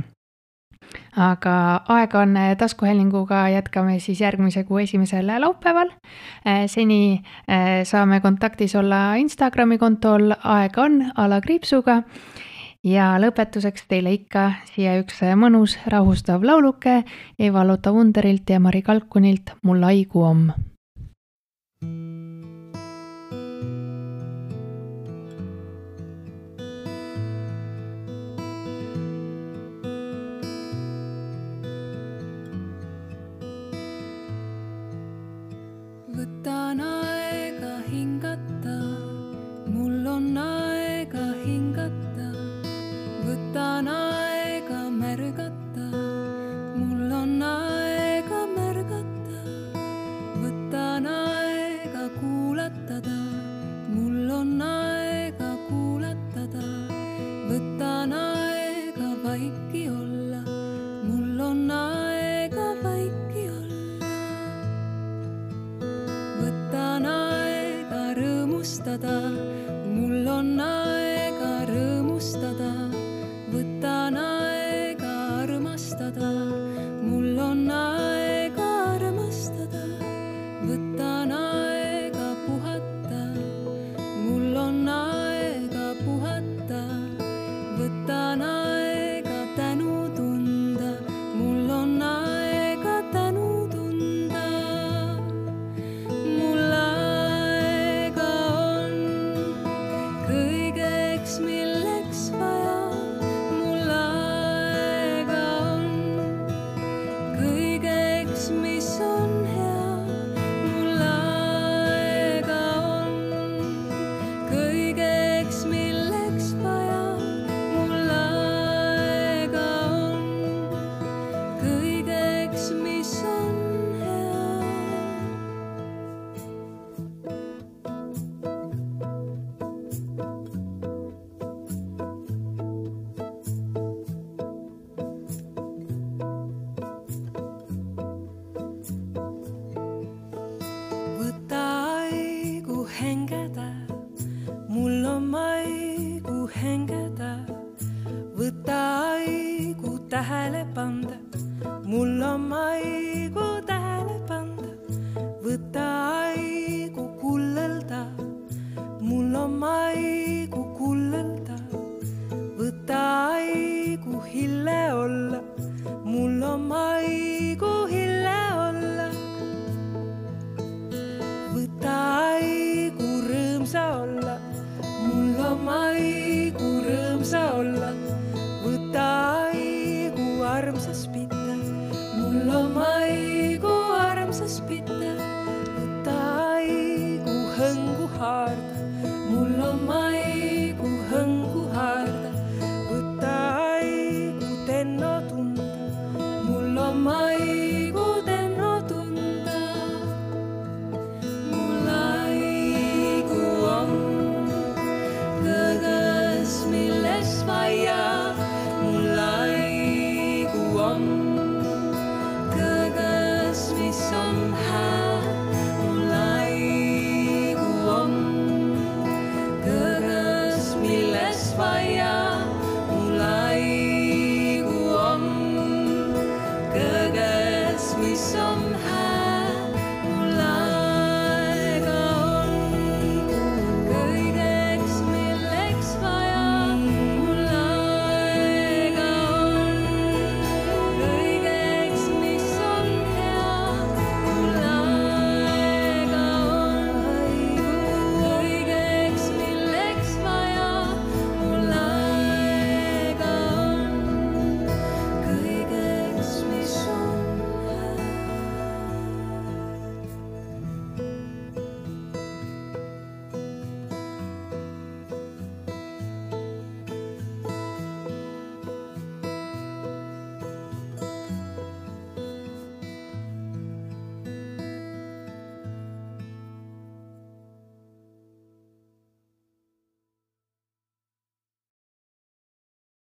Aga aega on taskuhäälinguga, jätkame siis järgmise kuu esimesel laupäeval. Seni saame kontaktis olla Instagrami kontol aega on alakriipsuga. Ja lõpetuseks teile ikka siia üks mõnus rahustav lauluke Eva-Lotta Wunderilt ja Mari Kalkunilt Mul aigu om. Võtan aega hingata, mul on aega hingata. Võtan aega märgata, mul on aega märgata. Võtan aega kuulatada, mul on aega kuulatada. Võtan aega vaiki olla, mul on aega vaiki olla. Võtan aega rõõmustada, mul on aega rõõmustada. Võtan aega armastada, mul on aega armastada. Võtan aega puhata, mul on aega puhata. Võtan aega tänu tunda, mul on aega tänu tunda. Mul aega on kõigeks, milleks vaja. Mis on hea, mul aega on kõigeks, milleks vaja. Mul aega on kõigeks, mis on hea. Hengeda, mul on aigu hengeda. Võta aigu tähele panda, mul on aigu tähele panda. Võta aigu kullelda, mul on aigu kullelda. Võta aigu hille olla, mul on aigu hille olla. Võta aigu rõõmsa olla, mul on aigu rõõmsa olla. Võta aigu armsas pita, mul on aigu armsas pita. Võta aigu hõngu haarda, mul on aigu